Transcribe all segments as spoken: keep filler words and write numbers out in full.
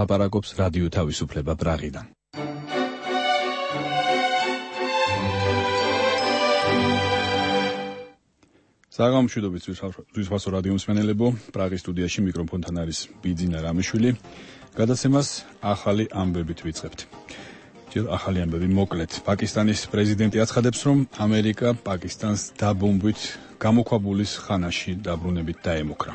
ლაპარაკობს რადიო თავისუფლება პრაღიდან. საღამოშვიდობით ზუსტად რადიო მსმენელებო, პრაღის სტუდიაში მიკროფონთან არის ბიძინა რამიშვილი. გადაცემას ახალი ამბებით ვიწყებთ. ჯერ ახალი ამბები მოკლედ. პაკისტანის პრეზიდენტი აცხადებს, რომ ამერიკა პაკისტანს დაბომბვით გამოქვაბულის ხანაში დაბრუნებით დაემუქრა.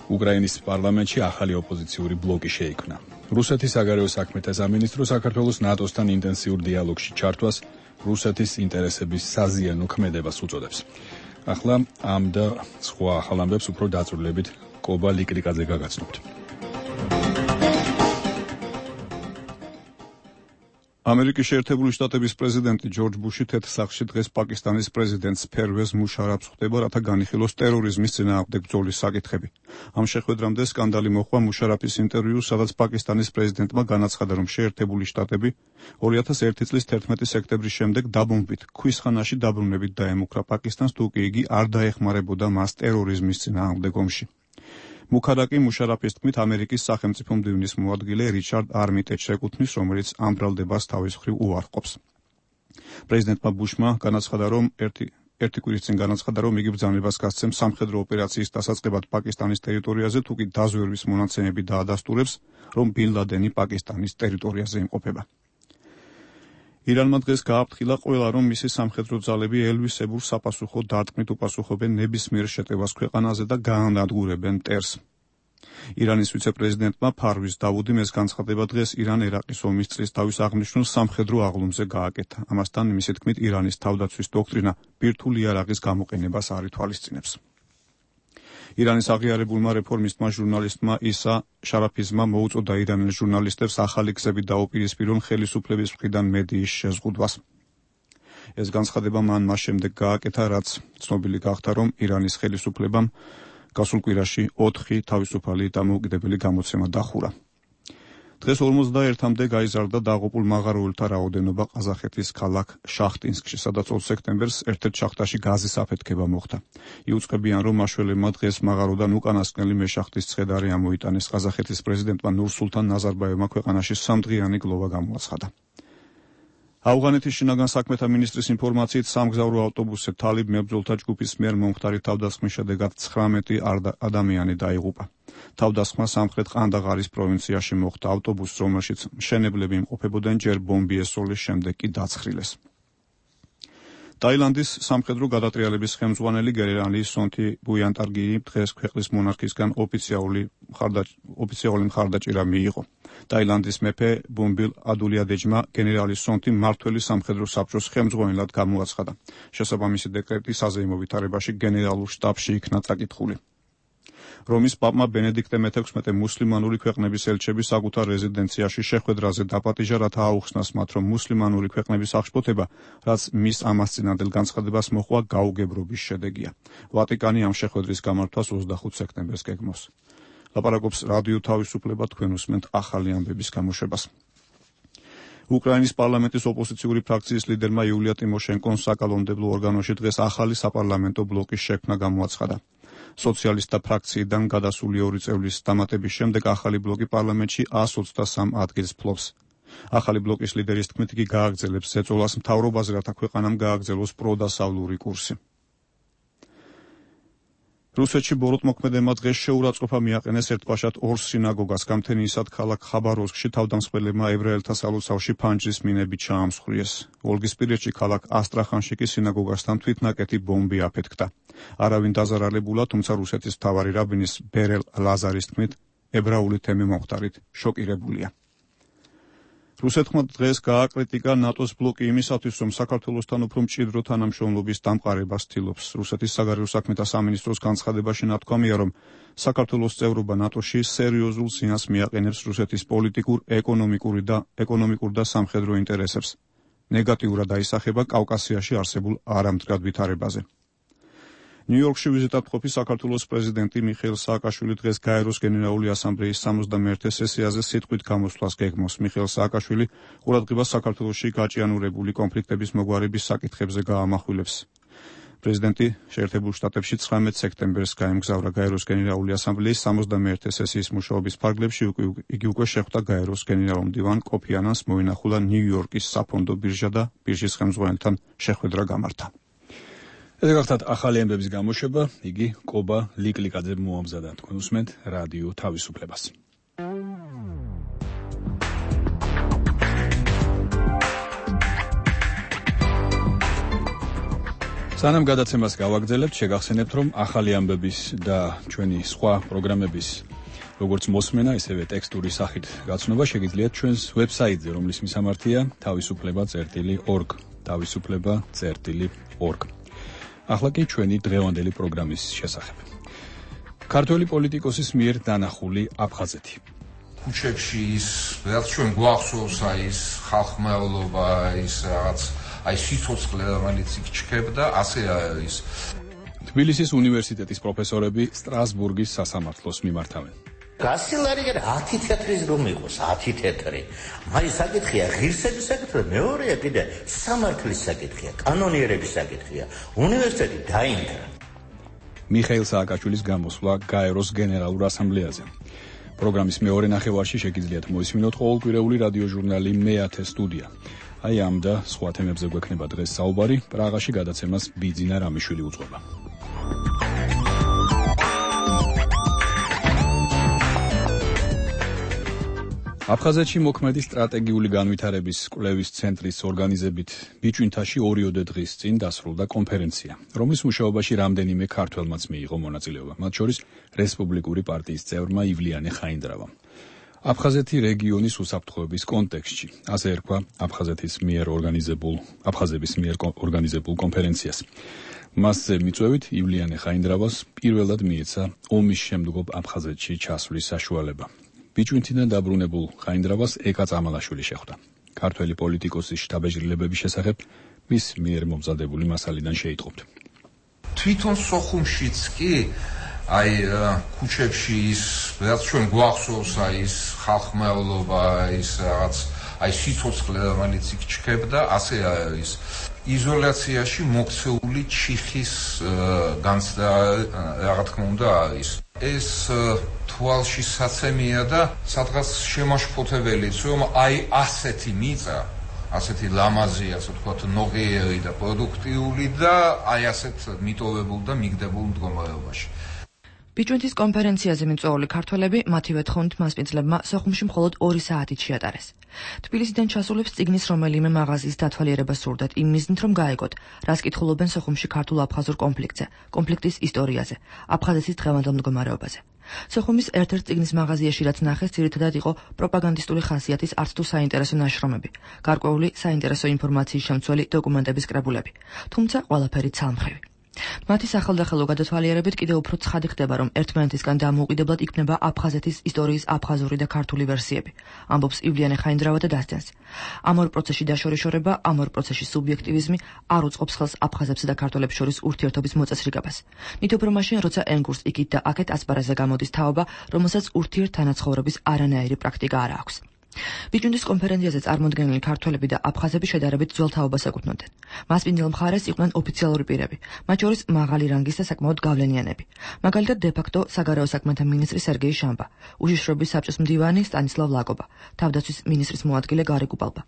უკრაინის პარლამენტში ახალი ოპოზიციური ბლოკი შეიქმნა. რუსეთის საგარეო საქმეთა სამინისტრო საქართველოს ნატოსთან ინტენსიურ დიალოგში ჩართვას რუსეთის ინტერესების საზიანო ქმედებას უწოდებს. ახლა ამ და სხვა ახალ ამბებს უფრო დაწვრილებით კობა ლიკრიკაძე გაგაცნობთ. ამერიკის შეერთებული შტატების პრეზიდენტი ჯორჯ ბუში თეთრსახში დღეს პაკისტანის პრეზიდენტს ფერვეზ მუშარაფს ხვდება, რათა განიხილოს ტერორიზმის წინააღმდეგ ბრძოლის საკითხები. ამ შეხვედრამდე სკანდალი მოჰყვა მუშარაფის ინტერვიუს, სადაც პაკისტანის პრეზიდენტმა განაცხადა, რომ შეერთებული შტატები ორი ათას ერთი წლის თერთმეტი სექტემბრის შემდეგ დაბომბვით ქვის ხანაში დაბრუნებით დაემუქრა პაკისტანს, თუ კი იგი არ დაეხმარებოდა მას ტერორიზმის წინააღმდეგ ომში. მუქადაკი მუშარაფის თქმით ამერიკის სახელმწიფო მდივნის მოადგილე რიჩარდ არმიტეჯს ეკუთვნის, რომელიც ამ ბრალდებას თავის მხრივ უარყოფს. პრეზიდენტმა ბუშმა განაცხადა, რომ ერთი ერთი კვირის წინ განაცხადა, რომ იგი ბრძანებას გასცემს სამხედრო ოპერაციის დასაწყებად პაკისტანის ტერიტორიაზე, თუ კი დაზვერვის მონაცემები დაადასტურებს, რომ ბინ ლადენი პაკისტანის ტერიტორიაზე იმყოფება. ირანმა დღეს გააფრთხილა ყველა, რომ მისი სამხედრო ძალები ელვისებურ საპასუხო დარტყმით უპასუხობენ ნებისმიერ შეტევას ქვეყანაზე და გაანადგურებენ მტერს. ირანის ვიცე-პრეზიდენტმა ფარვის დავუდიმ ეს განცხადება დღეს ირან-ერაყის ომის წლისთავის აღნიშნულ სამხედრო აღლუმზე გააკეთა. ამასთან მისი თქმით ირანის თავდაცვის დოქტრინა ბირთვული იარაღის გამოყენებას არ ითვალისწინებს. ირანის აღიარებულმა რეფორმისტმა ჟურნალისტმა ისა შარაფიზმა მოუწოდა ირანელ ჟურნალისტებს ახალი გზებით დაუპირისპირონ ხელისუფლების მხრიდან მედიის შეზღუდვას. ეს განცხადება მან მას შემდეგ გააკეთა, რაც ცნობილი გახდა, რომ ირანის ხელისუფლებამ გასულ კვირაში ოთხი თავისუფალი დამოუკიდებელი გამოცემა დახურა. დღეს ორმოცდაერთამდე გაიზარდა დაღუპულ მაღაროელთა რაოდენობა ყაზახეთის ქალაქ შახტინსკში, სადაც ოთხ სექტემბერს ერთ-ერთ შახტაში გაზის აფეთქება მოხდა. იუწყებიან, რომ მაშველებმა დღეს მაღაროდან უკანასკნელი მეშახტის ცხედარი ამოიტანეს. ყაზახეთის პრეზიდენტმა ნურსულთან ნაზარბაევმა ქვეყანაში სამდღიანი გლოვა გამოაცხადა. ავღანეთის შინაგან საქმეთა მინისტრის ინფორმაციით სამგზავრო ავტობუსზე თალიბ მებრძოლთა ჯგუფის მიერ მომხდარი თავდასხმის შედეგად ცხრამეტი ადამიანი დაიღუპა. თავდასხმა სამხრეთ ყანდაღარის პროვინციაში მოხდა. ავტობუსს, რომელშიც მშენებლები იმყოფებოდნენ, ჯერ ბომბი ესროლეს, შემდეგ კი დაცხრილეს. ტაილანდის სამხედრო გადატრიალების ხელმძღვანელი გენერალი სონთი ბუიანტარგიი დღეს ქვეყნის მონარქისგან ოფიციალური ოფიციალური მხარდაჭერა მიიღო. ტაილანდის მეფე ბუმბილ ადულიადეჯმა გენერალი სონთი მმართველი სამხედრო საბჭოს ხელმძღვანელად გამოაცხადა. შესაბამისი დეკრეტი საზეიმო ვითარებაში გენერალურ შტაბში იქნა წაკითხული. რომის პაპმა ბენედიქტე მეთექვსმეტე მუსლიმანური ქვეყნების ელჩები საკუთარ რეზიდენციაში შეხვედრაზე დაპატიჟა, რათა აუხსნას მათ, რომ მუსლიმანური ქვეყნების აღშფოთება, რაც მის ამას წინანდელ განცხადებას მოჰყვა, გაუგებრობის შედეგია. ვატიკანი ამ შეხვედრის გამართვას ოცდახუთ სექტემბერს გეგმავს. ლაპარაკობს რადიო თავისუფლება, თქვენ უსმენთ ახალი ამბების გამოშვებას. უკრაინის პარლამენტის ოპოზიციური ფრაქციის ლიდერმა იულია ტიმოშენკომ საკანონმდებლო ორგანოში დღეს ახალი საპარლამენტო ბლოკის შექმნა გამოაცხადა. სოციალისტთა ფრაქციიდან გადასული ორი წევრის დამატების შემდეგ ახალი ბლოკი პარლამენტში ას ოცდასამ ადგილს ფლობს. ახალი ბლოკის ლიდერის თქმით, იგი გააგრძელებს ზეწოლას მთავრობაზე, რათა ქვეყანამ გააგრძელოს პროდასავლური კურსი. რუსეთში ბოროტმოქმედებმა დღეს შეურაცხყოფა მიაყენეს ერთბაშად ორ სინაგოგას. გამთენიისად ქალაქ ხაბაროვსკში თავდამსხმელებმა ებრაელთა სალოცავში ფანჯრის მინებით ჩაამსხვრიეს. ვოლგისპირეთში ქალაქ ასტრახანში კი სინაგოგასთან თვითნაკეთი ბომბი აფეთქდა. არავინ დაზარალებულა, თუმცა რუსეთის მთავარი რაბინის ბერელ ლაზარის თქმით, ებრაული თემი მომხდარით შოკირებულია. რუსეთმა დღეს გააკრიტიკა ნატოს ბლოკი იმისათვის, რომ საქართველოსთან უფრო მჭიდრო თანამშრომლობის დამყარებას ცდილობს. რუსეთის საგარეო საქმეთა სამინისტროს განცხადებაში ნათქვამია, რომ საქართველოს წევრობა ნატოში სერიოზულ ზიანს მიაყენებს რუსეთის პოლიტიკურ, ეკონომიკური და ეკონომიკურ და სამხედრო ინტერესებს. ნეგატიურად აისახება კავკასიაში არსებულ არამდგრად ვითარებაზე. ნიუ-იორკში ვიზიტად მყოფი საქართველოს პრეზიდენტი მიხეილ სააკაშვილი დღეს გაეროს გენერალური ასამბლეის სამოცდამეერთე სესიაზე სიტყვით გამოსვლას გეგმავს. მიხეილ სააკაშვილი ყურადღებას საქართველოში გაჭიანურებული კონფლიქტების მოგვარების საკითხებზე გაამახვილებს. პრეზიდენტი შეერთებულ შტატებში ცხრამეტ სექტემბერს გაემგზავრა გაეროს გენერალური ასამბლეის სამოცდამეერთე სესიის მუშაობის ფარგლებში. იგი უკვე შეხვდა გაეროს გენერალურ მდივან კოფი ანანს, მოინახულა ნიუ-იორკის საფონდო ბირჟა და ბირჟის ხელმძღვანელთან შეხვედრა გამართა. ეს გახლავთ ახალი ამბების გამოშვება, იგი კობა ლიკლიკაძე მოამზადა. თქვენ უსმენთ რადიო თავისუფლებას. სანამ გადაცემას გავაგრძელებთ, შეგახსენებთ, რომ ახალი ამბების და ჩვენი სხვა პროგრამების როგორც მოსმენა, ისევე ტექსტური სახით გაცნობა შეგიძლიათ ჩვენს ვებსაიტზე, რომლის მისამართია თავისუფლება წერტილი ორგ, თავისუფლება წერტილი ორგ. ახლა კი ჩვენი დღევანდელი პროგრამის შესახებ. ქართველი პოლიტიკოსის მიერ დანახული აფხაზეთი. ქუჩებში ის, რაც ჩვენ გვახსოვს, აი ეს ხალხმრავლობა, ის რაღაც აი სიცოცხლე, რომელიც იქ ჩქებდა, ასე არის. თბილისის უნივერსიტეტის პროფესორები სტრასბურგის სასამართლოს მიმართავენ. გასილარიგე ათი თეთრის რომ იყოს, ათი თეთრი. მაინც საკითხია ღირსების საკითხია, მეორეა კიდე სამართლის საკითხია, კანონიერების საკითხია. უნივერსიტეტი დაინგრა. მიხეილ სააკაშვილის გამოსვლა გაეროს გენერალურ ასამბლეაზე. პროგრამის მეორე ნახევარში შეგიძლიათ მოისმინოთ ყოველკვირეული რადიოჟურნალი მეათე სტუდია. აი ამ და სხვა თემებზე გვექნება დღეს საუბარი. პრაღაში გადაცემას ბიძინა რამიშვილი უძღვება. აფხაზეთში მოქმედი სტრატეგიული განვითარების კვლევის ცენტრის ორგანიზებით ბიჭვინთაში ორიოდე დღის წინ დასრულდა კონფერენცია, რომლის მუშაობაში რამდენიმე ქართველმაც მიიღო მონაწილეობა, მათ შორის რესპუბლიკური პარტიის წევრმა ივლიანე ხაინდრავამ. აფხაზეთი რეგიონის უსაფრთხოების კონტექსტში, ასე ერქვა აფხაზეთის მიერ ორგანიზებულ აფხაზების მიერ ორგანიზებულ კონფერენციას. მასზე მიწვევით ივლიანე ხაინდრავას პირველად მიეცა ომის შემდგომ აფხაზეთში ჩასვლის საშუალება. ბიჭვინთიდან დაბრუნებულ ხაინდრავას ეკა წამალაშვილი შეხვდა. ქართველი პოლიტიკოსის შთაბეჭდილებების შესახებ მის მიერ მომზადებული მასალიდან შეიტყობთ. თვითონ სოხუმშიც კი აი ქუჩებში ის, რაც ჩვენ გვახსოვს, აი ეს ხალხმრავლობა, ის რაღაც აი სიცოცხლე, რომელიც იქ ჩქებდა, ასე არის. იზოლაციაში მოქცეული ჩიხის განცდა, რა თქმა უნდა, არის. ეს თვალში საცემია და სადღაც შემაშფოთებელიც, რომ აი ასეთი მიწა, ასეთი ლამაზი, ასე ვთქვათ, ნოღიერი და პროდუქტიული და აი ასეთ მიტოვებულ და მიგდებულ მდგომარეობაში. ბიჭვინთის კონფერენციაზე მიწვეული ქართველები მათივე თხოვნით მასპინძლებმა სოხუმში მხოლოდ ორი საათით შეატარეს. თბილისიდან ჩასულებს წიგნის რომელიმე მაღაზიის დათვალიერება სურდათ იმ მიზნით, რომ გაეგოთ, რას კითხულობენ სოხუმში ქართულ-აფხაზურ კონფლიქტზე, კონფლიქტის ისტორიაზე, აფხაზეთის დღევანდელ მდგომარეობაზე. სოხუმის ერთ-ერთ წიგნის მაღაზიაში რაც ნახეს, ძირითადად იყო პროპაგანდისტული ხასიათის არც თუ საინტერესო ნაშრომები, გარკვეული საინტერესო ინფორმაციის შემცველი დოკუმენტების კრებულები, თუმცა ყველაფერი ცალმხრივი. მათი სახელდახელო გადათვალიერებით კიდევ უფრო ცხადი ხდება, რომ ერთმანეთისგან დამოუკიდებლად იქმნება აფხაზეთის ისტორიის აფხაზური და ქართული ვერსიები, ამბობს ივლიანე ხაინდრავა და დასძენს. ამ ორ პროცესში დაშორიშორება, ამ ორ პროცესში სუბიექტივიზმი არ უწყობს ხელს აფხაზებს და ქართველებს შორის ურთიერთობის მოწესრიგებას. ნით უფრო მაშინ, როცა ენგურს იქით და აქეთ ასპარეზზე გამოდის თაობა, რომელსაც ურთიერთთანაცხოვრების არანაირი პრაქტიკა არ აქვს. ბიჭვინთის კონფერენციაზე წარმოდგენილი ქართველები და აფხაზები შედარებით ძველ თაობას ეკუთვნოდნენ. მასპინძელ მხარეს იყვნენ ოფიციალური პირები, მათ შორის მაღალი რანგის და საკმაოდ გავლენიანები. მაგალითად, დე-ფაქტო საგარეო საქმეთა მინისტრი სერგეი შამბა, უშიშროების საბჭოს მდივანი სტანისლავ ლაკობა, თავდაცვის მინისტრის მოადგილე გარი კუპალბა,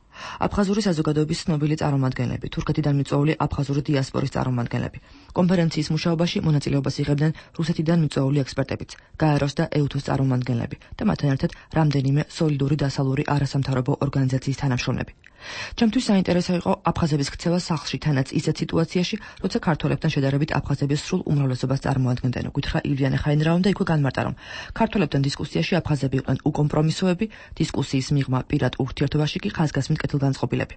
აფხაზური საზოგადოების ცნობილი წარმომადგენლები, თურქეთიდან მიწვეული აფხაზური დიასპორის წარმომადგენლები. კონფერენციის მუშაობაში მონაწილეობას იღებდნენ რუსეთიდან მიწვეული ექსპერტებიც, გაეროს და ეუთოს წარმომადგენლები და მათთან ერთად რამდენიმე სოლიდური დასალური არასამთავრობო ორგანიზაციის თანამშრომლები. ჩემთვის საინტერესო იყო აფხაზების ქცევა სახლში, თანაც ისეთ სიტუაციაში, როცა ქართველებთან შედარებით აფხაზების სრულ უმრავლესობას წარმოადგენდნენ. გითხრა ივლიანე ხაინდრავამ და იქვე განმარტა, რომ ქართველებთან დისკუსიაში აფხაზები იყვნენ უკომპრომისოები, დისკუსიის მიღმა პირად ურთიერთობაში კი ხაზგასმით კეთილგანწყობილები.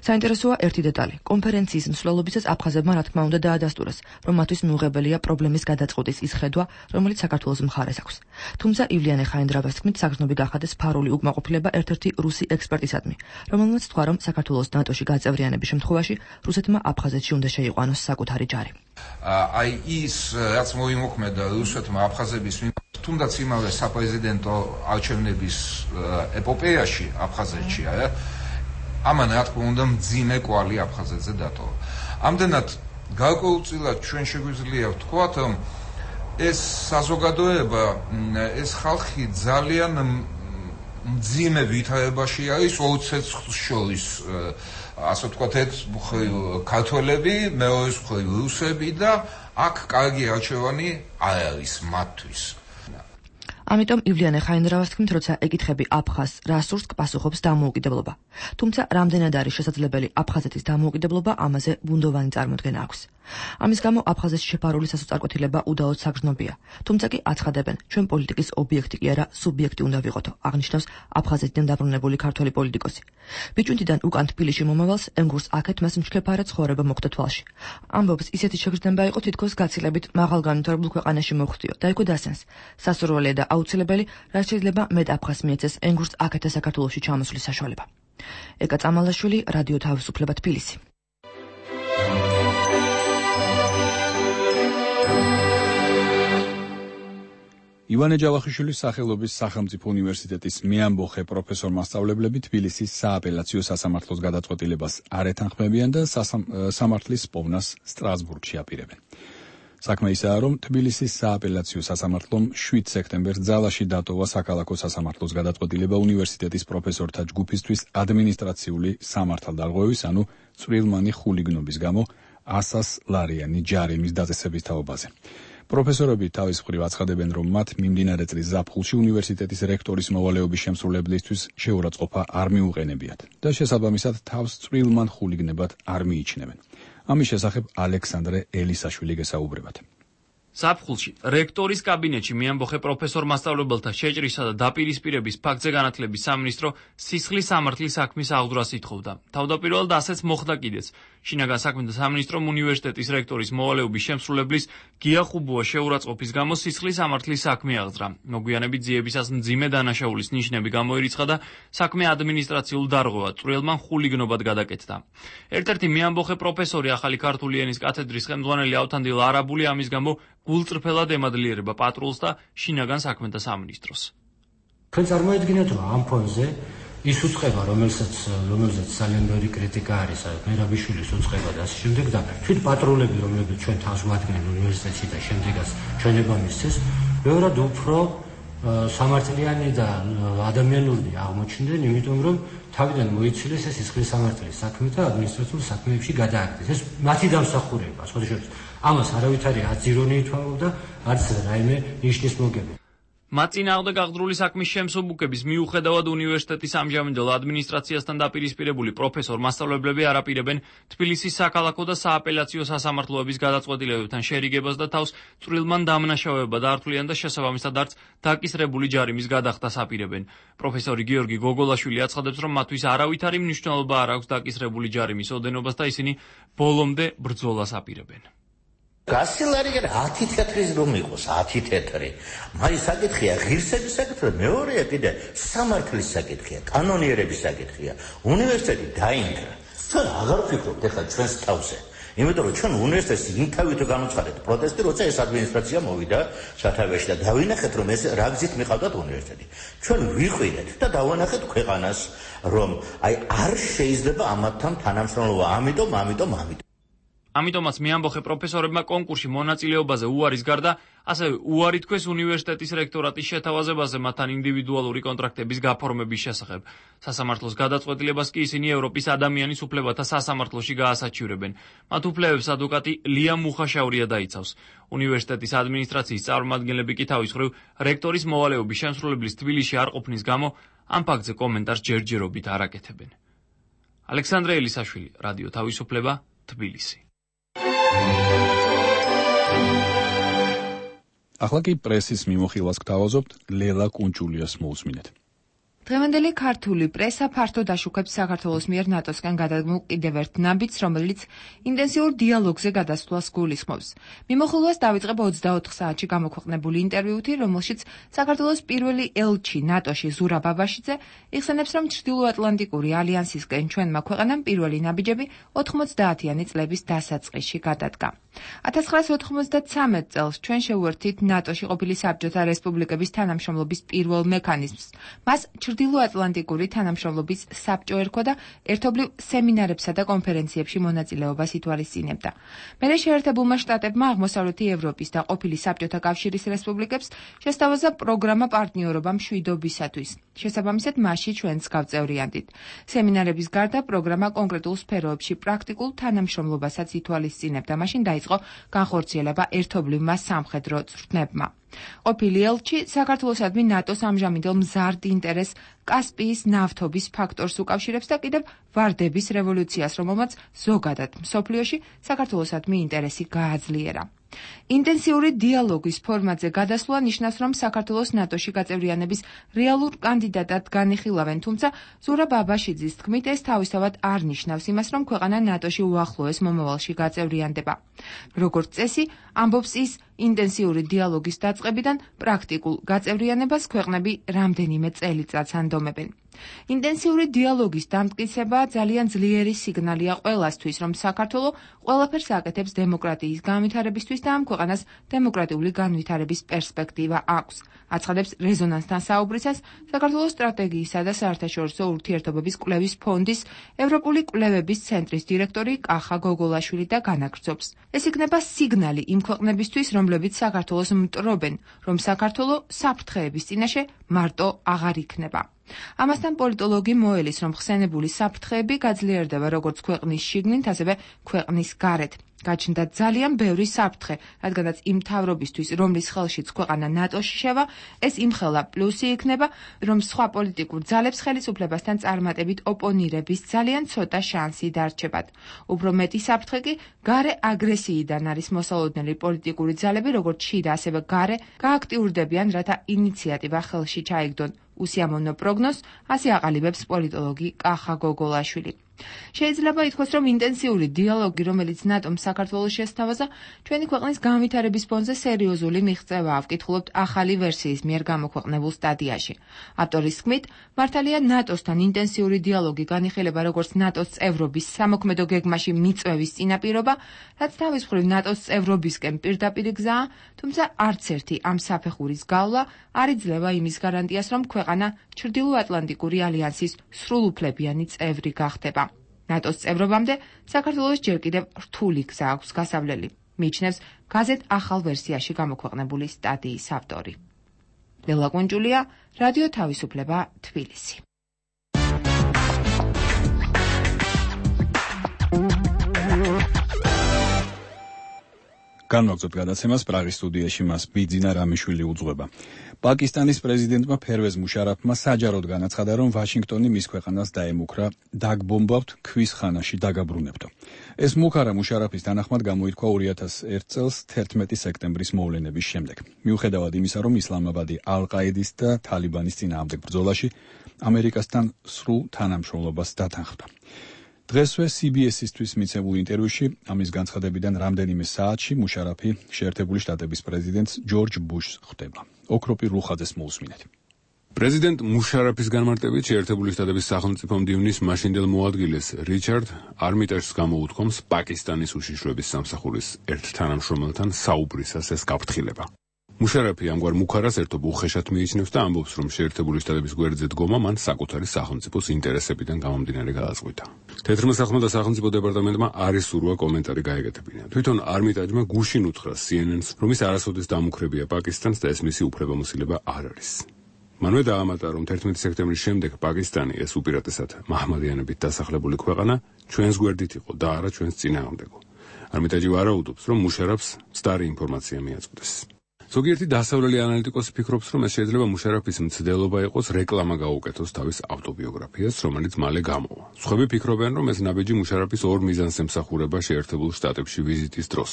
საინტერესოა ერთი დეტალი. კონფერენციის მსვლელობისას აფხაზებმა რა თქმა უნდა დაადასტურეს, რომ მათთვის მიუღებელია პრობლემის გადაწყვეტის ის ხედვა, რომელიც საქართველოს მხარეს აქვს. თუმცა ივლიანე ხაინდრავას თქმით, საგრძნობი გახადეს ფარული უკმაყოფილება ერთ-ერთი რუსი ექსპერტისადმი, რომელმაც თქვა, რომ საქართველოს ნატოში გაწევრიანების შემთხვევაში რუსეთმა აფხაზეთში უნდა შეიყვანოს საკუთარი ჯარი. აი ის, რაც მოიმოქმედა რუსეთმა აფხაზების მიმართ, თუნდაც იმავე საპრეზიდენტო არჩევნების ეპოპეაში აფხაზეთში, ამან რა თქმა უნდა მძიმე კვალი აფხაზეთზე დატოვა. ამდენად გარკვეულწილად ჩვენ შეგვიძლია ვთქვათ, ეს საზოგადოება, ეს ხალხი ძალიან მძიმე ვითარებაში არის ორ ცეცხლს შორის, ასე ვთქვათ, ერთ მხრივ ქართველები, მეორე მხრივ რუსები და აქ კარგი არჩევანი არ არის მათთვის. ამიტომ ივლიანე ხაინდრავას თქმით, როცა ეკითხები აფხაზს რა სურს, პასუხობს დამოუკიდებლობა. თუმცა რამდენად არის შესაძლებელი აფხაზეთის დამოუკიდებლობა, ამაზე ბუნდოვანი წარმოდგენა აქვს. ამის გამო აფხაზეთში შეფარული სასოწარკვეთილება უდაოდ საგრძნობია. თუმცა კი აცხადებენ, ჩვენ პოლიტიკის ობიექტი კი არა, სუბიექტი უნდა ვიყოთო, აღნიშნავს აფხაზეთიდან დაბრუნებული ქართველი პოლიტიკოსი. ბიჭუნთიდან უკან თბილისში მომავალს ემგურს აქეთ მას მჩქეფარად ცხოვრება მოხვდა თვალში. ამბობს, ისეთი შეგრძნება იყო თითქოს გაცილებით მაღალ განვითარებულ ქვეყანაში მოხვდიო და იქვე დასენს. სასურველია და აუცილებელი, რაც შეიძლება მეტ აფხაზს მიეცეს ემგურს აქეთა საქართველოში ჩამოსვლის საშუალება. ეკა წამალაშვილი, რადიო თავისუფლება, თბილისი. ივანე ჯავახიშვილის სახელობის სახელმწიფო უნივერსიტეტის მეამბოხე პროფესორ-მასწავლებლები თბილისის სააპელაციო სასამართლოს გადაწყვეტილებას არ ეთანხმებიან და სამართლის პოვნას სტრასბურგში აპირებენ. საქმე ისაა, რომ თბილისის სააპელაციო სასამართლომ შვიდ სექტემბერს ძალაში დატოვა საქალაქო სასამართლოს გადაწყვეტილება უნივერსიტეტის პროფესორთა ჯგუფისთვის ადმინისტრაციული სამართალდარღვევის, ანუ წვრილმანი ხულიგნობის გამო ასას ლარიანი ჯარიმის დაწესების თაობაზე. პროფესორები თავის მხრივ აცხადებენ, რომ მათ მიმდინარე წლის ზაფხულში უნივერსიტეტის რექტორის მოვალეობის შემსრულებლისთვის შეურაცხყოფა არ მიუყენებიათ და შესაბამისად თავს წვრილმან ხულიგნებად არ მიიჩნევენ. ამის შესახებ ალექსანდრე ელისაშვილი გესაუბრებათ. ზაფხულში რექტორის კაბინეტში მეამბოხე პროფესორ-მასწავლებელთა შეჭრისა და დაპირისპირების ფაქტზე განათლების სამინისტრო სისხლის სამართლის საქმის აღძვრას ითხოვდა. თავდაპირველად ასეც მოხდა კიდეც. შინაგან საქმეთა სამინისტრომ უნივერსიტეტის რექტორის მოვალეობის შემსრულებლის გია ხუბუას შეურაცხყოფის გამო სისხლის სამართლის საქმე აღძრა. მოგვიანებით ძიებისას მძიმე დანაშაულის ნიშნები გამოირიცხა და საქმე ადმინისტრაციულ დარღვევად წვრილმან ხულიგნობად გადაკეთდა. ერთ-ერთი მეამბოხე პროფესორი ახალი ქართული ენის კათედრის ხელმძღვანელი ავთანდილ არაბული ამის გამო გულწრფელად ემადლიერება პატრულს და შინაგან საქმეთა სამინისტროს. თქვენ წარმოედგინეთ, რომ ამ ფონზე ის უწყება, რომელსაც რომელზეც ძალიან ბევრი კრიტიკა არის, მერაბიშვილის უწყება და ასე შემდეგ და თვით პატრულები, რომლებიც ჩვენ თავს ვადგენენ უნივერსიტეტში და შემდეგაც ჩვენება მისცეს, ბევრად უფრო სამართლიანი და ადამიანური აღმოჩნდნენ, იმიტომ რომ თავიდან მოიცილეს ეს სისხლის სამართლის საქმე და ადმინისტრაციულ საქმეებში გადააკეთეს. ეს მათი დამსახურება, სხვა შორის ამას არავითარი არც ირონია ითვალა, არც რაიმე ნიშნის მოგება. მათ წინააღმდეგ აღძრული საქმის შემსუბუქების მიუხედავად უნივერსიტეტის ამჟამინდელ ადმინისტრაციასთან დაპირისპირებული პროფესორ-მასწავლებლები არ აპირებენ თბილისის საქალაქო და სააპელაციო სასამართლოების გადაწყვეტილებებთან შერიგებას და თავს წვრილმან დამნაშავეებად ართვლიან და შესაბამისად არც დაკისრებული ჯარიმის გადახდას აპირებენ. პროფესორი გიორგი გოგოლაშვილი აცხადებს, რომ მათთვის არავითარი მნიშვნელობა არ აქვს დაკისრებული ჯარიმის ოდენობას და ისინი ბოლომდე ბრძოლას აპირებენ. გასილარი ათი თეთრის რომ იყოს, ათი თეთრი. მაინც საკითხია ღირსების საკითხია, მეორეა კიდე სამართლის საკითხია, კანონიერების საკითხია. უნივერსიტეტი დაინგრა. ჩვენ აღარ ვფიქრობთ ახლა ჩვენს თავზე. იმიტომ რომ ჩვენ უნივერსიტეტში იმთავით განუცხადეთ პროტესტი, როცა ეს ადმინისტრაცია მოვიდა სათავეში და დავინახეთ, რომ ეს რა გზით მიყავდათ უნივერსიტეტი. ჩვენ ვიყვინეთ და დავანახეთ ქვეყანას, რომ აი არ შეიძლება ამათთან თანამშრომლობა, ამიტომ, ამიტომ, ამიტომ ამიტომაც მეამბოხე პროფესორებმა კონკურსში მონაწილეობაზე უარის გარდა, ასევე უარი თქვეს უნივერსიტეტის რექტორატის შეთავაზებაზე მათთან ინდივიდუალური კონტრაქტების გაფორმების შესახებ. სასამართლოს გადაწყვეტილებას კი ისინი ევროპის ადამიანის უფლებათა სასამართლოში გაასაჩივრებენ. მათ უფლებებს ადვოკატი ლია მუხაშაურია დაიცავს. უნივერსიტეტის ადმინისტრაციის წარმომადგენლები კი თავის მხრივ რექტორის მოვალეობის შემსრულებლის თბილისში არ ყოფნის გამო ამ ფაქტზე კომენტარს ჯერჯერობით არ აკეთებენ. ალექსანდრე ელისაშვილი, რადიო თავისუფლება, თბილისი. ახლა კი პრესის მიმოხილვას გთავაზობთ, ლელა კუნჭულიას მოусმინეთ. დღევანდელი ქართული პრესა ფართოდ აშუქებს საქართველოს მიერ ნატოსგან გადადგმულ კიდევ ერთ ნაბიჯს, რომელიც ინტენსიურ დიალოგზე გადასვლას გულისხმობს. მიმოხილვას დავიწყებ ოცდაოთხ საათში გამოქვეყნებული ინტერვიუთი, რომელშიც საქართველოს პირველი ელჩი ნატოში ზურაბ აბაშიძე იხსენებს, რომ ჩრდილოატლანტიკური ალიანსისკენ ჩვენმა ქვეყანამ პირველი ნაბიჯები ოთხმოცდაათიანი წლების დასაწყისში გადადგა. ათას ცხრაასი ოთხმოცდათრამეტ წელს ჩვენ შევუერთდით ნატოში ყოფილი საბჭოთა რესპუბლიკების თანამშრომლობის პირველ მექანიზმს. მას ჩრდილოატლანტიკური თანამშრომლობის საბჭო ერქვა და ერთობლივ სემინარებსა და კონფერენციებში მონაწილეობას ითვალისწინებდა. მერე შეერთებულმა შტატებმა აღმოსავლეთი ევროპის და ყოფილი საბჭოთა კავშირის რესპუბლიკებს შესთავაზა პროგრამა პარტნიორობა მშვიდობისათვის. შესაბამისად, მასში ჩვენც გავწევრიანდით. სემინარების გარდა პროგრამა კონკრეტულ სფეროებში პრაქტიკულ თანამშრომლობასაც ითვალისწინებდა. მაშინ დაიწყო განხორციელება ერთობლივმა სამხედრო წვრთნებმა. ყოფილი ელჩი საქართველოსადმი ნატოს ამჟამინდელ მზარდ ინტერესს კასპიის ნავთობის ფაქტორს უკავშირებს და კიდევ ვარდების რევოლუციას, რომელმაც ზოგადად მსოფლიოში საქართველოსადმი ინტერესი გააძლიერა. ინტენსიური დიალოგის ფორმატზე გადასვლა ნიშნავს, რომ საქართველოს ნატოში გაწევრიანების რეალურ კანდიდატად განიხილავენ, თუმცა ზურაბ აბაშიძის თქმით, ეს თავისთავად არ ნიშნავს იმას, რომ ქვეყანა ნატოში უახლოეს მომავალში გაწევრიანდება. როგორც წესი, ამბობს ის, ინტენსიური დიალოგის დაწყებიდან პრაქტიკულ გაწევრიანებას ქვეყნები რამდენიმე წელიწადს ანდომებენ. ინტენსიური დიალოგის დამტკიცება ძალიან ძლიერი სიგნალია ყველასთვის, რომ საქართველო ყველაფერს აკეთებს დემოკრატიის განვითარებისთვის და ამ ქვეყანას დემოკრატიული განვითარების პერსპექტივა აქვს. აცხადებს რეზონანსთან საუბრისას საქართველოს სტრატეგიისა და საერთაშორისო ურთიერთობების კვლევის ფონდის ევროპული კვლევების ცენტრის დირექტორი კახა გოგოლაშვილი და განაგრძობს. ეს იქნება სიგნალი იმ ქვეყნებისთვის, რომლებიც საქართველოს მტრობენ, რომ საქართველო საფრთხეების წინაშე მარტო აღარ იქნება. ამასთან პოლიტოლოგი მოელის, რომ ხსენებული საფრთხეები გაძლიერდება როგორც ქვეყნის შიგნით, ასევე ქვეყნის გარეთ. გაჩნდა ძალიან ბევრი საფრთხე, რადგანაც იმ მთავრობისთვის, რომლის ხელშიც ქვეყანა ნატოში შევა, ეს იმხელა პლუსი იქნება, რომ სხვა პოლიტიკურ ძალებს ხელისუფლებასთან წარმატებით ოპონირების ძალიან ცოტა შანსი დარჩებათ. უფრო მეტი საფრთხე კი გარე აგრესიიდან არის მოსალოდნელი პოლიტიკური ძალები, როგორც შიდა, ასევე გარე, გააქტიურდებიან, რათა ინიციატივა ხელში ჩაიგდონ. უსიამოვნო პროგნოზს ასე აყალიბებს პოლიტოლოგი კახა გოგოლაშვილი. შეიძლება ითქვას, რომ ინტენსიური დიალოგი, რომელიც ნატომ საქართველოს შესთავაზა, ჩვენი ქვეყნის განვითარების ფონზე სერიოზული მიღწევაა, ვკითხულობთ ახალი ვერსიის მიერ გამოქვეყნებულ სტატიაში. ავტორის თქმით, მართალია ნატოსთან ინტენსიური დიალოგი განიხილება როგორც ნატოს წევრობის სამოქმედო გეგმაში მიწვევის წინაპირობა, რაც თავის მხრივ ნატოს წევრობისკენ პირდაპირ გზაა, თუმცა არც ერთი ამ საფეხურის გავლა არ იძლევა იმის გარანტიას, რომ ქვეყანა ჩრდილოატლანტიკური ალიანსის სრულუფლებიანი წევრი გახდება. ნატოს წევრობამდე საქართველოს ჯერ კიდევ რთული გზა აქვს გასავლელი, მიიჩნევს გაზეთ ახალ ვერსიაში გამოქვეყნებული სტატიის ავტორი. ლელა კუნჯულია, რადიო თავისუფლება, თბილისი. განვაგრძობთ გადაცემას პრაღის სტუდიაში მას ბიძინა რამიშვილი უძღვება. პაკისტანის პრეზიდენტმა ფერვეზ მუშარაფმა საჯაროდ განაცხადა, რომ ვაშინგტონი მის ქვეყანას დაემუქრა დაგბომბავთ ქვის ხანაში დაგაბრუნებთო. ეს მუქარა მუშარაფის თანახმად გამოირქვა ორი ათას ერთ წელს თერთმეტი სექტემბრის მოვლენების შემდეგ. მიუხედავად იმისა, რომ ისლამაბადი ალ-ყაედის და თალიბანის წინააღმდეგ ბრძოლაში ამერიკასთან სრულ თანამშრომლობას დათანხმდა. დღესვე სი ბი ეს-ისთვის მიცემულ ინტერვიუში ამის განცხადებიდან რამდენიმე საათში მუშარაფი შეერთებული შტატების პრეზიდენტს ჯორჯ ბუშს ხვდება. ოქროპი რუხაძეს მოусმინეთ. პრეზიდენტ მუშარაფის განმარტებით შეერთებული შტატების სახელმწიფო მდივნის მაშინდელ მოადგილეს რიჩარდ არმიტაჟს გამოუთქვამს პაკისტანის უშიშროების სამსახურის ერთ თანამშრომელთან საუბრისას ეს გაფრთხილება. მუშარაფი ამგვარ მუქარას ერთობ უხეშად მიიჩნევს და ამბობს, რომ შეერთებული შტატების გვერდზე დგომა მან საკუთარი სახელმწიფოს ინტერესებიდან გამომდინარე გადაწყვიტა. თეთრმა სახლმა და სახელმწიფო დეპარტამენტმა არ ისურვა კომენტარი გაეკეთებინა. თვითონ არმიტაჯმა გუშინ უთხრა სი ენ ენს, რომ ის არასოდეს დამუქრებია პაკისტანს და ეს მისი უფლებამოსილება არ არის. მანვე დაამატა, რომ თერთმეტი სექტემბრის შემდეგ პაკისტანი, ეს უპირატესად მაჰმადიანებით დასახლებული ქვეყანა, ჩვენს გვერდით იყო და არა ჩვენს წინააღმდეგო. არმიტაჯი ვარაუდობს, რომ მუშარაფს მცდარი ინფორმაცია მიაწვდეს. ზოგიერთი დასავლელი ანალიტიკოსი ფიქრობს, რომ ეს შეიძლება მუშარაფის მცდელობა იყოს რეკლამა გაუკეთოს თავის ავტობიოგრაფიას, რომელიც მალე გამოვა. სხვები ფიქრობენ, რომ ეს ნაბიჯი მუშარაფის ორ მიზანს ემსახურება შეერთებულ შტატებში ვიზიტის დროს.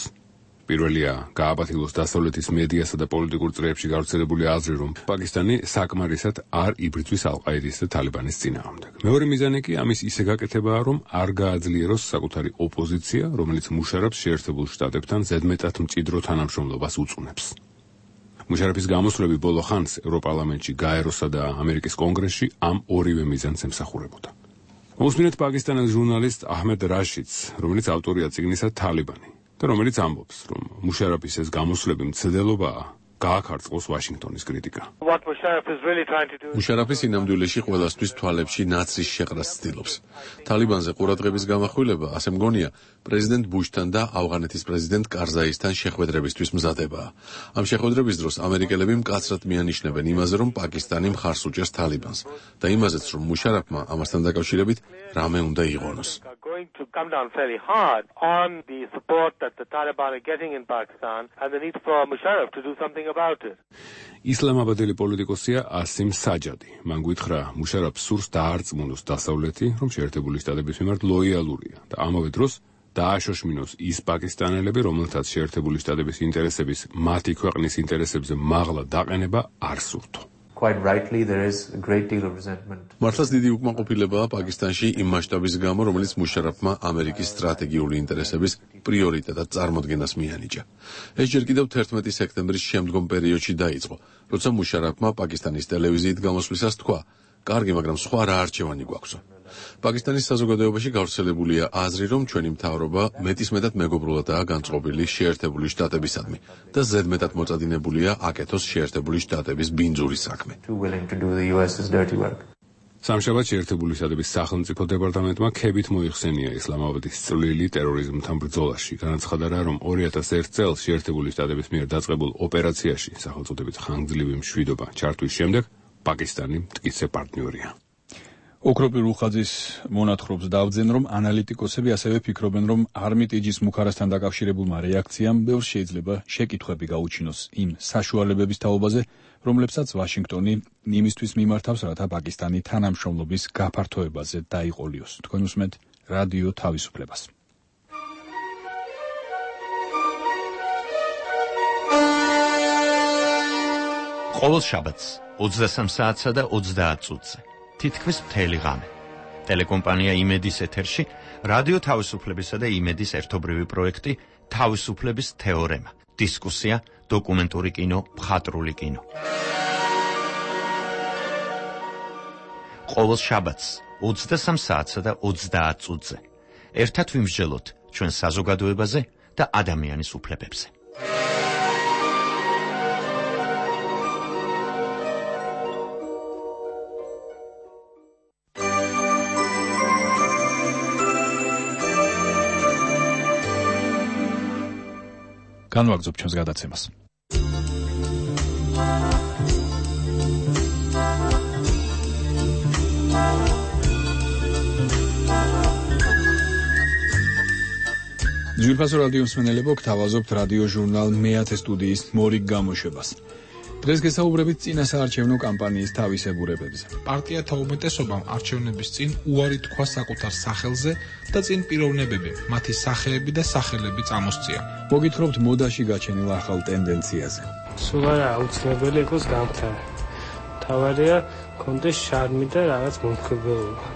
პირველია, გააბათილოს დასავლეთის მედიასა და პოლიტიკურ წრეებში გავრცელებული აზრი, რომ პაკისტანი საკმარისად არ იბრძვის ალ-ყაედის და თალიბანის წინააღმდეგ. მეორე მიზანი კი ამის ისე გაკეთებაა, რომ არ გააძლიეროს საკუთარი ოპოზიცია, რომელიც მუშარაფს შეერთებულ შტატებთან ზედმეტად მჭიდრო თანამშრომლობას უწუნებს. მუშარაფის გამოსვლები ბოლო ხანს ევროპარლამენტში, გაეროსა და ამერიკის კონგრესში ამ ორივე მიზანს ემსახურებოდა. მოусმინეთ პაკისტანის ჟურნალისტ აჰმედ რაშიდს, რომელიც ავტორია წიგნისა თალიბანი. და რომელიც ამბობს, რომ მუშარაფის ეს გამოსვლები მცდელობაა, გააქარწყოს ვაშინგტონის კრიტიკა. მუშარაფი სინამდვილეში ყველასთვის თვალებში ნაცრის შეყრას ცდილობს. თალიბანზე ყურადღების გამახვილება, ასე მგონია, პრეზიდენტ ბუშთან და ავღანეთის პრეზიდენტ კარზაისთან შეხვედრებისთვის მზადებაა. ამ შეხვედრების დროს ამერიკელები მკაცრად მიანიშნებენ იმაზე, რომ პაკისტანი მხარს უჭერს თალიბანს და იმაზეც, რომ მუშარაფმა ამასთან დაკავშირებით რამე უნდა იღონოს. ისლამაბადელი პოლიტიკოსია ასიმ საჯადი. მან გითხრა, მუშარაფს სურს დაარწმუნოს დასავლეთი, რომ შეერთებული შტატების მიმართ ლოიალურია და ამავე დროს დააშოშმინოს ის პაკისტანელები, რომელთაც შეერთებული შტატების ინტერესების მათი ქვეყნის ინტერესებზე მაღლა დაყენება არ სურთო. Quite rightly, there is a great deal of resentment. მართლაც დიდი უკმაყოფილებაა პაკისტანში იმ მასშტაბის გამო, რომელიც მუშარაფმა ამერიკის სტრატეგიული ინტერესების პრიორიტეტად წარმოდგენას მიანიჭა. ეს ჯერ კიდევ თერთმეტი სექტემბრის შემდგომ პერიოდში დაიწყო, როცა მუშარაფმა პაკისტანის ტელევიზიით გამოსვლისას თქვა: "კარგი, მაგრამ სხვა რა არჩევანი გვაქვსო?" პაკისტანის საზოგადოებაში გავრცელებულია აზრი, რომ ჩვენი მთავრობა მეტისმეტად მეგობრულადაა განწყობილი შეერთებული შტატებისადმი და ზედმეტად მოწადინებულია აკეთოს შეერთებული შტატების ბინძური საქმე. სამშაბათს შეერთებული შტატების სახელმწიფო დეპარტამენტმა ქებით მოიხსენია ისლამაბადის წვლილი ტერორიზმთან ბრძოლაში. განაცხადა, რომ ორი ათას ერთ წელს შეერთებული შტატების მიერ დაწყებულ ოპერაციაში სახელწოდებით ხანგრძლივი მშვიდობა ჩართვის შემდეგ პაკისტანი მტკიცე პარტნიორია. ოქროპი რუხაძის მონათხრობს დავძენ, რომ ანალიტიკოსები ასევე ფიქრობენ, რომ არმიტიჯის მუქარასთან დაკავშირებულმა რეაქციამ ბევრს შეიძლება შეკითხვები გაუჩინოს იმ საშუალებების თაობაზე, რომლებსაც ვაშინგტონი იმისთვის მიმართავს, რათა პაკისტანი თანამშრომლობის გაფართოებაზე დაიყოლიოს. თქვენ უსმენთ რადიო თავისუფლებას. ყოველ შაბათს ოცდასამ საათსა და ოცდაათ წუთზე თითქმის მთელი ღამე. ტელეკომპანია იმედის ეთერში რადიო თავისუფლებისა და იმედის ერთობრივი პროექტი თავისუფლების თეორემა. დისკუსია, დოკუმენტური კინო, მხატვრული კინო. ყოველ შაბათს ოცდასამ საათსა და ოცდაათ წუთზე. ერთად ვიმსჯელოთ ჩვენ საზოგადოებაზე და ადამიანის უფლებებზე. განვაგრძობ ჩვენს გადაცემას. ძვირფასო რადიო მსმენელებო, გთავაზობთ რადიო ჟურნალ მეათე სტუდიის მორიგ გამოშვებას. დღეს გესაუბრებით წინა საარჩევნო კამპანიის თავისებურებებზე. პარტიათა უმეტესობამ არჩევნების წინ უარი თქვა საკუთარ სახელზე და წინ პიროვნებები, მათი სახეები და სახელები წამოსწია. მოგითხრობთ მოდაში გაჩენილ ახალ ტენდენციაზე. სულ არა აუცილებელი იყოს გამხდარი. თავარია კონდეს შარმი და რაღაც მომხიბლობა.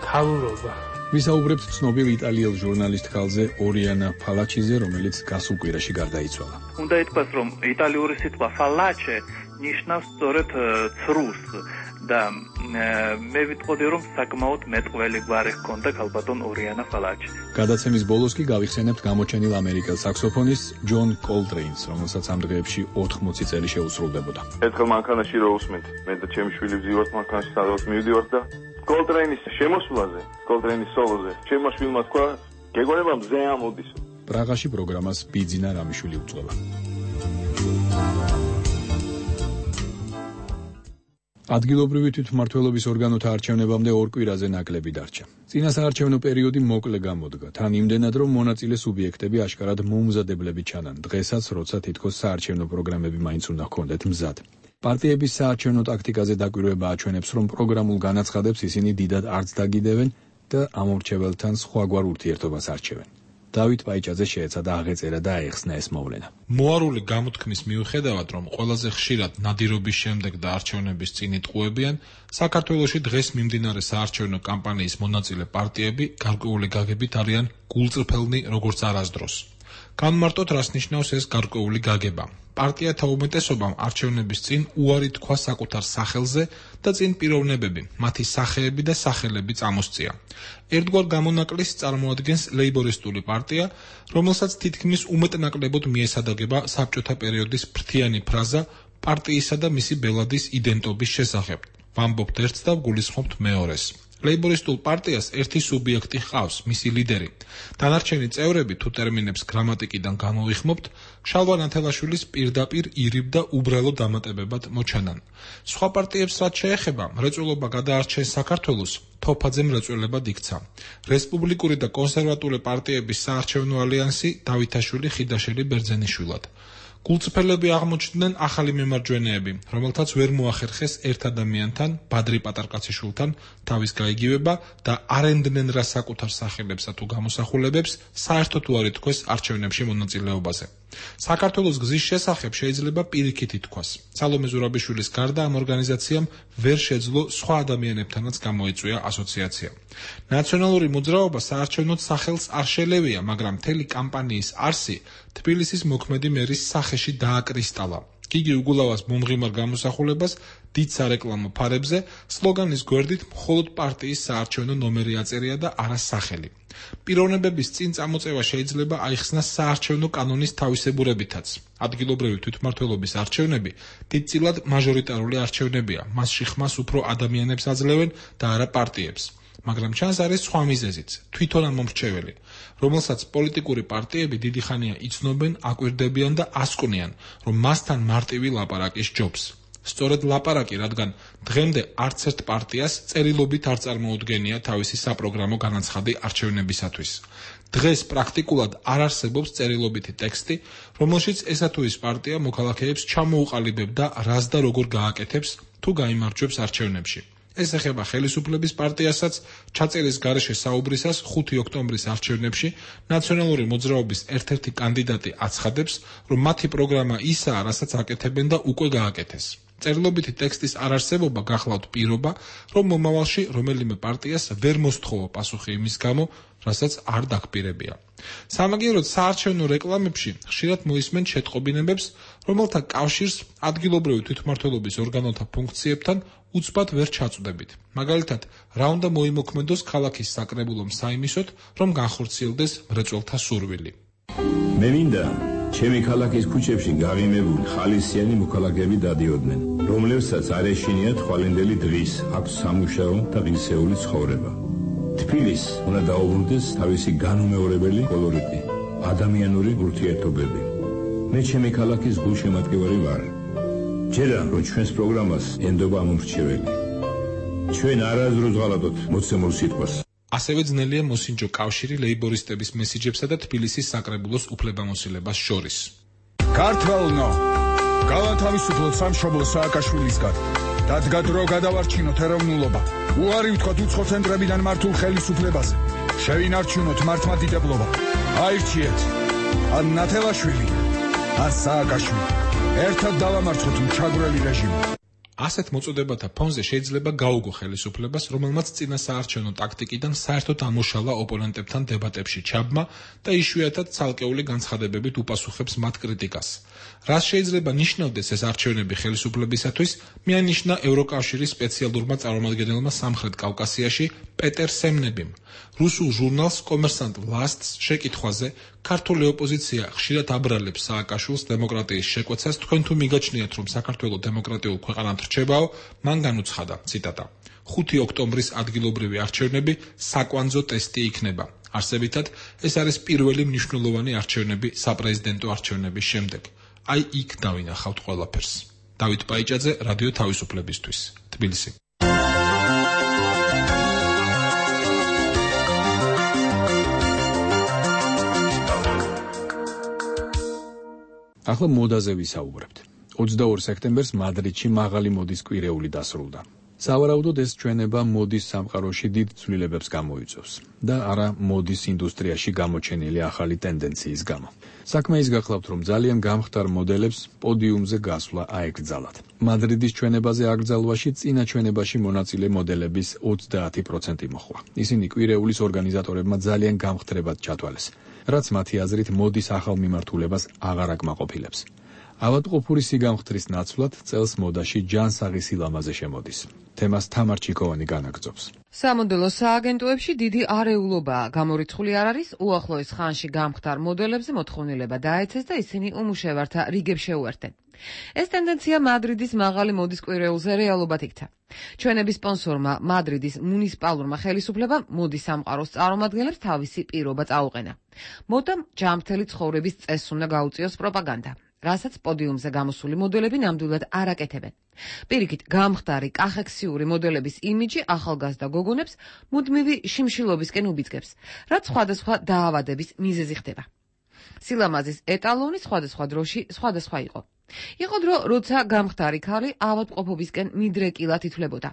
ქალურობა. ვისაუბრებთ ცნობილ იტალიელ ჟურნალისტ ქალზე ორიანა ფალაჩიზე, რომელიც გასულ კვირაში გარდაიცვალა. უნდა ითქვას, რომ იტალიური სიტყვა ფალაჩე ნიშნავს სწორედ ცრუს და მე ვიტყოდი, რომ საკმაოდ მეტყველი გვარი ჰქონდა ქალბატონ ორიანა ფალაჩე. გადაცემის ბოლოს კი გავიხსენებთ გამოჩენილ ამერიკელ საქსოფონისტს ჯონ კოლტრეინს, რომელსაც ამ დღეებში ოთხმოცი წელი შეუსრულდებოდა. ერთხელ მანქანაში რო უსმენთ, მე და ჩემი შვილი ვზივართ მანქანაში, სადაც მივდივართ და კოლტრეინის შემოსვლაზე, კოლტრეინის სოლოზე, ჩემმა შვილმა თქვა, გეგონება მზე ამოდისო. პრაღაში პროგრამას ბიძინა რამიშვილი უძღვება. ადგილობრივი თვითმმართველობის ორგანოთა არჩევნებამდე ორ კვირაზე ნაკლები დარჩა. წინა საარჩევნო პერიოდი მოკლე გამოდგა, თან იმდენად, რომ მონაწილე სუბიექტები აშკარად მოუმზადებლები ჩანან. დღესაც, როცა თითქოს საარჩევნო პროგრამები მაინც უნდა ჰქონდეთ მზად. პარტიების საარჩევნო ტაქტიკაზე დაკვირვება აჩვენებს, რომ პროგრამულ განაცხადებს ისინი დიდად არც დაგიდევენ და ამორჩეველთან სხვაგვარ ურთიერთობას არჩევენ. დავით პაიჭაძე შეეცადა აღეწერა და აეხსნა ეს მოვლენა. მოარული გამოთქმის მიუხედავად, რომ ყველაზე ხშირად ნადირობის შემდეგ და არჩევნების წინ იტყუებიან, საქართველოში დღეს მიმდინარე საარჩევნო კამპანიის მონაწილე პარტიები გარკვეული გაგებით არიან გულწრფელნი როგორც არასდროს. განმარტოთ, რას ნიშნავს ეს გარკვეული გაგება. პარტიათა უმეტესობამ არჩევნების წინ უარი თქვა საკუთარ სახელზე და წინ პიროვნებები, მათი სახეები და სახელები წამოსწია. ერთგვარ გამონაკლისს წარმოადგენს ლეიბორისტული პარტია, რომელსაც თითქმის უმეტნაკლებოდ მიესადაგება საბჭოთა პერიოდის ფრთიანი ფრაზა პარტიისა და მისი ბელადის იდენტობის შესახებ. ვამბობთ ერთს და ვგულისხმობთ მეორეს. ლეიბორისტულ პარტიას ერთი სუბიექტი ჰყავს, მისი ლიდერი. დანარჩენი წევრები, თუ ტერმინებს გრამატიკიდან გამოვიხმობთ, შალვა ნათელაშვილის პირდაპირ ირიბ და უბრალო დამატებებად მოჩანან. სხვა პარტიებს რაც შეეხება, მრეწველობა გადაარჩენს საქართველოს, თოფაძე მრეწველებად იქცა. რესპუბლიკური და კონსერვატული პარტიების საარჩევნო ალიანსი დავითაშვილი ხიდაშელი ბერძენიშვილად. გულწრფელები აღმოჩნდნენ ახალი მემარჯვენეები, რომელთაც ვერ მოახერხეს ერთ ადამიანთან, ბადრი პატარკაციშვილთან, თავის გაიგივება და არენდნენ რა საკუთარ სახელებსა თუ გამოსახულებებს, საერთოდ უარი თქვეს არჩევნებში მონაწილეობაზე. საქართველოს გზის შესახებ შეიძლება პირიქით ითქვას. სალომე ზურაბიშვილის გარდა ამ ორგანიზაციამ ვერ შეძლო სხვა ადამიანებთანაც გამოეწვია ასოციაცია. ნაციონალური მოძრაობა საარჩევნოდ სახელს არ შელევია, მაგრამ მთელი კამპანიის არსი თბილისის მოქმედი მერის სახეში დააკრისტალა. გიგი უგულავას მომღიმარ გამოსახულებას დიდ სარეკლამო ფარებზე სლოგანის გვერდით მხოლოდ პარტიის საარჩევნო ნომერი აწერია და არა სახელი. პიროვნებების წინ წამოწევა შეიძლება აიხსნას საარჩევნო კანონის თავისებურებითაც. ადგილობრივი თვითმმართველობის არჩევნები დიდწილად მაჟორიტარული არჩევნებია, მასში ხმას უფრო ადამიანებს აძლევენ და არა პარტიებს. მაგრამ ჩანს არის სხვა მიზეზიც, თვითონ ამომრჩეველი, რომელსაც პოლიტიკური პარტიები დიდი ხანია იცნობენ, აკვირდებიან და ასკვნიან, რომ მასთან მარტივი ლაპარაკი სჯობს. სწორედ ლაპარაკი, რადგან დღემდე არც ერთ პარტიას წერილობით არ წარმოუდგენია თავისი საპროგრამო განაცხადი არჩევნებისათვის. დღეს პრაქტიკულად არ არსებობს წერილობითი ტექსტი, რომელშიც ესა თუ ის პარტია მოქალაქეებს ჩამოუყალიბებდა რას და როგორ გააკეთებს თუ გაიმარჯვებს არჩევნებში. ეს ეხება ხელისუფლების პარტიასაც, ჩაწერის გარეშე საუბრისას ხუთი ოქტომბრის არჩევნებში ნაციონალური მოძრაობის ერთ-ერთი კანდიდატი აცხადებს, რომ მათი პროგრამა ისაა, რასაც აკეთებენ და უკვე გააკეთეს. წერილობითი ტექსტის არარსებობა გახლავთ პირობა, რომ მომავალში რომელიმე პარტიას ვერ მოსთხოვა პასუხი იმის გამო, რასაც არ დაგპირებია. სამაგიეროდ საარჩევნო რეკლამებში ხშირად მოისმენ შეტყობინებებს, რომელთა კავშირს ადგილობრივი თვითმმართველობის ორგანოთა ფუნქციებთან უცბად ვერ ჩაწვდებით. მაგალითად, რა უნდა მოიმოქმედოს ქალაქის საკრებულომ საიმისოდ, რომ განხორციელდეს მრეწველთა სურვილი. მე მინდა ჩემი ქალაქის ქუჩებში გაღიმებული ხალისიანი მოქალაქეები დადიოდნენ, რომლებსაც არ ეშინიათ ხვალინდელი დღის აქვს სამუშაო და ღირსეული ცხოვრება. თბილისს უნდა დაუბრუნდეს თავისი განუმეორებელი კოლორიტი, ადამიანური ურთიერთობები. მე ჩემი ქალაქის გულშემატკივარი ვარ. ჯერა რომ ჩვენს პროგრამას ენდობა ამომრჩეველი. ჩვენ არასდროს ღალატოთ მოცემულ სიტყვას. ასევე ძნელია მოსინჯო კავშირი ლეიბორისტების მესიჯებსა და თბილისის საკრებულოს უფლებამოსილებას შორის. ქართველნო, გავათავისუფლოთ სამშობლო სააკაშვილისგან. დადგა დრო გადავარჩინოთ ეროვნულობა. უარი ვთქვათ უცხო ცენტრებიდან მართულ ხელისუფლებაზე. შევინარჩუნოთ მართლმადიდებლობა. აირჩიეთ ან ნათელაშვილი, ან სააკაშვილი. ერთად დავამარცხოთ მჩაგვრელი რეჟიმი. ასეთ მოწოდებათა ფონზე შეიძლება გაუგო ხელისუფლებას, რომელმაც წინა საარჩევნო ტაქტიკიდან საერთოდ ამოშალა ოპონენტებთან დებატებში ჩაბმა და იშვიათად ცალკეული განცხადებებით უპასუხებს მათ კრიტიკას. რას შეიძლება ნიშნავდეს ეს არჩევნები ხელისუფლებისათვის, მიანიშნა ევროკავშირის სპეციალურმა წარმომადგენელმა სამხრეთ კავკასიაში პეტერ სემნებიმ. რუსულ ჟურნალს კომერსანტ ლასტს შეკითხვაზე, ქართული ოპოზიცია ხშირად აბრალებს სააკაშვილს დემოკრატიის შეკვეცას, თქვენ თუ მიგაჩნიათ, რომ საქართველოს დემოკრატიულ ქვეყანად რჩებაო, მან განუცხადა, ციტატა: ხუთი ოქტომბრის ადგილობრივი არჩევნები საკვანძო ტესტი იქნება. არსებითად, ეს არის პირველი მნიშვნელოვანი არჩევნები საპრეზიდენტო არჩევნების შემდეგ. აი იქ დავინახავთ ყველაფერს. დავით პაიჭაძე, რადიო თავისუფლებისთვის, თბილისი. ახლა მოდაზე ვისაუბრებთ. ოცდაორ სექტემბერს მადრიდში მაღალი მოდის კვირეული დასრულდა. სავარაუდოდ ეს ჩვენება მოდის სამყაროში დიდ ცვლილებებს გამოიწვევს და არა მოდის ინდუსტრიაში გამოჩენილი ახალი ტენდენციის გამო. საქმე ის გახლავთ, რომ ძალიან გამხდარ მოდელებს პოდიუმზე გასვლა აეკრძალათ. მადრიდის ჩვენებაზე აკრძალვაში წინა ჩვენებაში მონაწილე მოდელების ოცდაათი პროცენტი მოხდა. ისინი კვირეულის ორგანიზატორებმა ძალიან გამხდრებად ჩათვალეს, რაც მათი აზრით მოდის ახალ მიმართულებას აღარ აკმაყოფილებს. ავადმყოფური სიგამხდრის ნაცვლად წელს მოდაში ჯანსაღი სილამაზე შემოდის. თემას თამარ ჩიკოვანი განაგრძობს. სამოდელო სააგენტოებში დიდი არეულობაა. გამორიცხული არ არის, უახლოეს ხანში გამხდარ მოდელებზე მოთხოვნილება დაეცეს და ისინი უმუშევართა რიგებს შეუერთდნენ. ეს ტენდენცია მადრიდის მაღალი მოდის კვირეულზე რეალობად იქცა. ჩვენების სპონსორმა მადრიდის მუნიციპალურმა ხელისუფლებამ მოდის სამყაროს წარმომადგენლებს თავისი პირობა წაუყენა. მოდამ ჯანმრთელი ცხოვრების წესს უნდა გაუწიოს პროპაგანდა, რასაც პოდიუმზე გამოსული მოდელები ნამდვილად არ აკეთებენ. პირიქით, გამხდარი კახექსიური მოდელების იმიჯი ახალგაზრდა გოგონებს მუდმივი შიმშილობისკენ უბიძგებს, რაც სხვადასხვა დაავადების მიზეზი ხდება. სილამაზის ეტალონი სხვადასხვა დროში სხვადასხვა იყო. იყო დრო, როცა გამხდარი ქალი ავადმყოფობისკენ მიდრეკილად ითვლებოდა.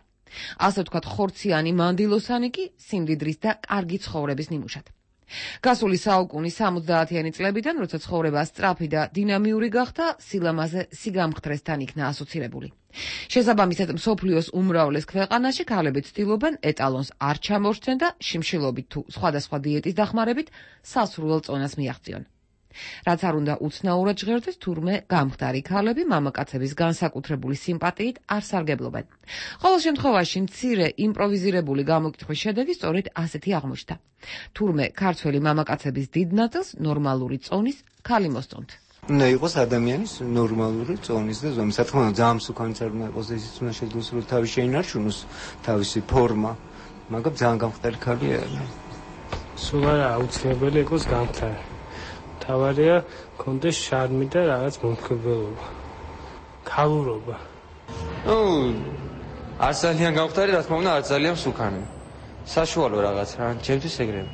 ასე ვთქვათ, ხორციანი მანდილოსანი კი სიმდიდრის და კარგი ცხოვრების ნიმუშად. გასული საუკუნის სამოცდაათიანი წლებიდან, როცა ცხოვრება სწრაფი და დინამიური გახდა, სილამაზე სიგამხდრესთან იქნა ასოცირებული. შესაბამისად, მსოფლიოს უმრავლეს ქვეყანაში ქალები ცდილობენ ეტალონს არ ჩამორჩნენ და შიმშილობით თუ სხვადასხვა დიეტის დახმარებით სასურველ წონას მიაღწიონ. რაც არ უნდა უცნაურად ჟღერდეს, თურმე გამხდარი ქალები მამაკაცების განსაკუთრებული სიმპათიით არ სარგებლობენ. ყოველ შემთხვევაში, მცირე იმპროვიზირებული გამოკითხვის შედეგი სწორედ ასეთი აღმოჩნდა. თურმე ქართველი მამაკაცების დიდ ნაწილს ნორმალური წონის ქალი მოსწონთ. უნდა იყოს ადამიანის ნორმალური წონის და ზომის. რა თქმა უნდა, ძალიან მსუქანიც არ უნდა იყოს, ისიც უნდა შეძლოს, რომ თავის შეინარჩუნოს თავისი ფორმა, მაგრამ ძალიან გამხდარი ქალი არ. სულ არა აუცილებელი იყოს გამხდარი. თავარია კონდეს შარმი და რაღაც მომხიბლობა. ქალურობა. ნუ არ ძალიან გამხდარი, რა თქმა უნდა, არ ძალიან მსუქანი. საშუალო რაღაც რა, ჩემთვის ეგრევე.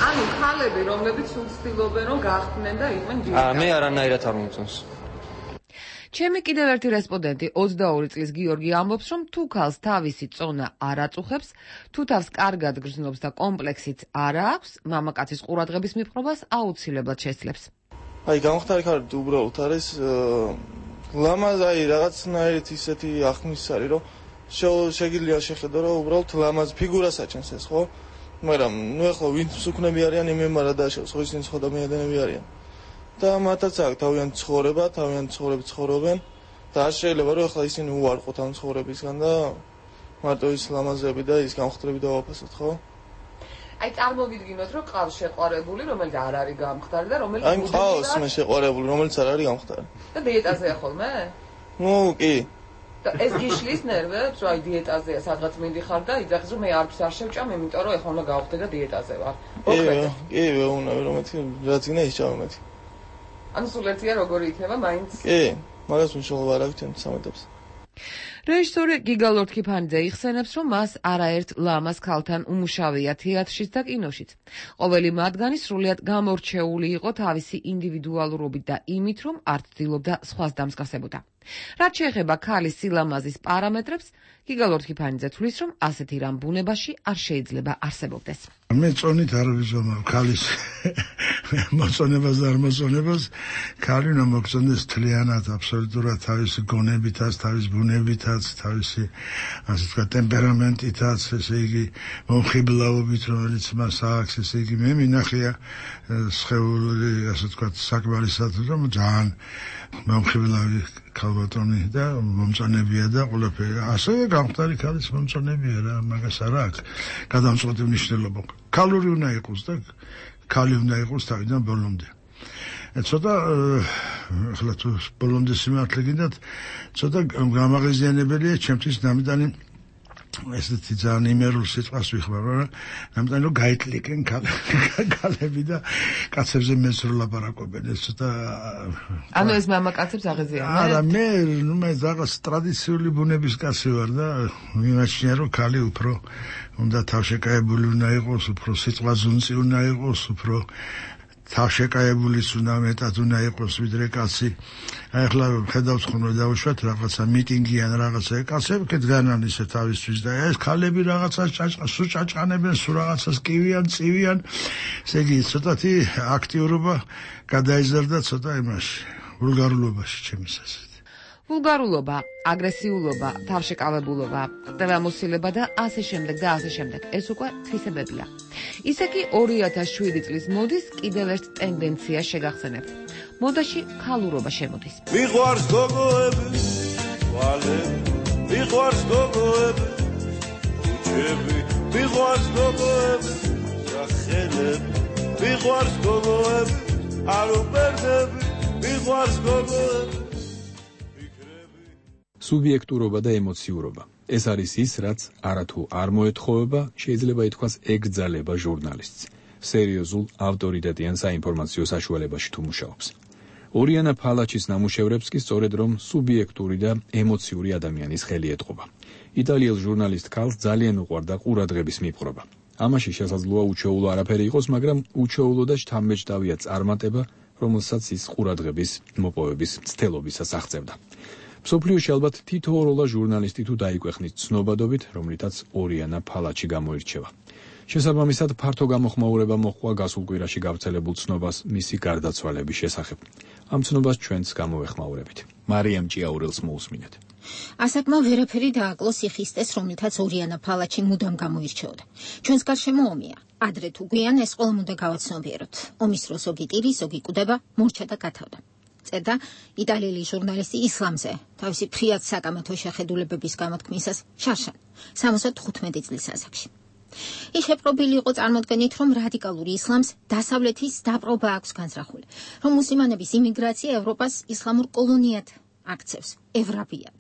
ანუ ქალები, რომლებიც უცდილობენ რომ გახდნენ და იყვნენ ჯერ. აა მე არანაირად არ მომწონს. ჩემი კიდევ ერთი რესპონდენტი ოცდაორი წლის გიორგი ამბობს, რომ თუ ქალს თავისი წონა არ აწუხებს, თუ თავს კარგად გრძნობს და კომპლექსიც არ აქვს, მამაკაცის ყურადღების მიპყრობას აუცილებლად შესძლებს. აი, გამხდარი ქალი უბრალოდ არის ლამაზ, აი, რაღაცნაირად ისეთი ახმის არის, რომ შეგიძლია შეხედო, რომ უბრალოდ ლამაზ ფიგურას აჩენს ეს, ხო? მაგრამ ნუ ახლა ვინც მსუქნები არიან, იმემ არა დააშავს, ხო ისინი სხვა ადამიანები არიან. და მათაც აქვს თავიანთი ცხოვრება, თავიანთი ცხოვრებით ცხოვრობენ და არ შეიძლება რომ ახლა ისინი უარყოთ ამ ცხოვრებისგან და მარტო ის ლამაზები და ის გამხდრები დავაფასოთ, ხო? აი წარმოვიდგინოთ, რომ ყავს შეყვარებული, რომელიც არ არის გამხდარი და რომელიც აი ყავს მე შეყვარებული, რომელიც არ არის გამხდარი. და დიეტაზეა ხოლმე? ნუ კი. და ეს გიშლის ნერვებს, რომ აი დიეტაზეა, სადღაც მიდიხარ და იძახის, რომ მე არც არ შევჭამ, იმიტომ რომ ეხლა უნდა გავხდე და დიეტაზე ვარ. კი, კი, უნდა რომ მეთი რაც იქნება ის ჩავმეთი. ანუ სულ ერთია როგორი იქნება მაინც? კი, მაგას მნიშვნელობა არ აქვს ჩემთვის სამედებს. რეჟისორი გიგა ლორთქიფანიძე იხსენებს, რომ მას არაერთ ლამაზ ქალთან უმუშავია თეატრშიც და კინოშიც. ყოველი მათგანი სრულიად გამორჩეული იყო თავისი ინდივიდუალურობით და იმით, რომ არ ცდილობდა სხვას დამსგავსებოდა. რაც შეეხება ქალის სილამაზის პარამეტრებს, გიგა ლორთქიფანიძე თვლის, რომ ასეთი რამ ბუნებაში არ შეიძლება არსებობდეს. მე წონით არ ვიზომავ ქალის მოწონებას და არ მოწონებას. ქალი უნდა მოგწონდეს თლიანად, აბსოლუტურად თავისი გონებითაც, თავის ბუნებითაც, თავისი ასე ვთქვათ ტემპერამენტითაც, ესე იგი მომხიბლაობით, რომელიც მას აქვს, ესე იგი მე მინახია სხეული, ასე ვთქვათ საკმარისად, რომ ძალიან მომხიბლავი ქალბატონი და მომწონებია და ყველაფერი. ასევე გამხდარი ქალის მომწონებია რა, მაგას არ აქვს გადამწყვეტი მნიშვნელობა. ქალური უნდა იყოს და ქალი უნდა იყოს თავიდან ბოლომდე. ცოტა ახლა თუ ბოლომდე სიმართლე გინდათ, ცოტა გამაღიზიანებელია ჩემთვის ნამდვილი ესეთი ძალიან იმერულ სიტყვას ვიხმარ, რა, ნამდვილი რომ გაიტლიკენ ქალები და კაცებზე მეც რო ლაპარაკობენ, ეს ცოტა ანუ ეს მამაკაცებს აღიზიანებენ? არა, მე ნუ მე რაღაც ტრადიციული ბუნების კაცი ვარ და მიმაჩნია რომ ქალი უფრო უნდა თავშეკავებული უნდა იყოს, უფრო სიტყვაზე უნდა იყოს, უფრო თავშეკავებულიც უნდა მეტად უნდა იყოს ვიდრე კაცი. აი ახლა ხედავთ ხოლმე დავუშვათ რაღაცა მიტინგი ან რაღაცა კაცები კეთგანან ისე თავისთვის და ეს ქალები რაღაცას ჭაჭყა სულ ჭაჭყანებენ სულ რაღაცას კივიან წივიან ესე იგი ცოტათი აქტიურობა გადაიზარდა ცოტა იმაში ვულგარულობაში ჩემის ასეთ ვულგარულობა, აგრესიულობა, თავშეკავებულობა, ხდევამოსილება და ასე შემდეგ და ასე შემდეგ. ეს უკვე თვისებებია. ისე კი ორი ათას შვიდი წლის მოდის კიდევ ერთ ტენდენციას შეგახსენებთ. მოდაში ქალურობა შემოდის. მიყვარს გოგოები, თვალები, მიყვარს გოგოები, უჩები, მიყვარს გოგოები, სახელები, მიყვარს გოგოები, არ უპერდები, მიყვარს გოგოები. სუბიექტურობა და ემოციურობა. ეს არის ის, რაც არათუ არ მოეთხოვება, შეიძლება ითქვას ეკძალება ჟურნალისტს. სერიოზულ ავტორიტეტიან საინფორმაციო საშუალებაში თუ მუშაობს. ორიანა ფალაჩის ნამუშევრებს კი სწორედ რომ სუბიექტური და ემოციური ადამიანის ხელი ეტყობა. იტალიელ ჟურნალისტ ქალს ძალიან უყვარდა ყურადღების მიპყრობა. ამაში შესაძლოა უჩვეულო არაფერი იყოს, მაგრამ უჩვეულო და შთამბეჭდავია წარმატება, რომელსაც ის ყურადღების მოპოვების მცდელობისას აღწევდა. მსოფლიოში ალბათ თითოეულა ჟურნალისტი თუ დაიკვეხნის ცნობადობით, რომლითაც ორიანა ფალაჩი გამოირჩევა. შესაბამისად, ფართო გამოხმაურება მოჰყვა გასულ კვირაში გავრცელებულ ცნობას მისი გარდაცვალების შესახებ. ამ ცნობას ჩვენც გამოვეხმაურებით. მარიამ ჭიაურელს მოусმინეთ. ასაკმა ვერაფერი დააკლოს იხისტეს, რომლითაც ორიანა ფალაჩი მუდამ გამოირჩეოდა. ჩვენს გარშემო ომია. ადრე თუ გვიან ეს ყველამ უნდა გავაცნობიეროთ. ომის დროს ზოგი ტირი, ზოგი კვდება, მორჩა და გათავდა. წერდა იტალიელი ჟურნალისტი ისლამზე, თავისი ფრიად საკამათო შეხედულებების გამოთქმისას შარშან, სამოცდა თხუთმეტი წლის ასაკში. ის შეპყრობილი იყო წარმოდგენით, რომ რადიკალური ისლამს დასავლეთის დაპყრობა აქვს განზრახული, რომ მუსლიმანების იმიგრაცია ევროპას ისლამურ კოლონიად აქცევს, ევრაბიად.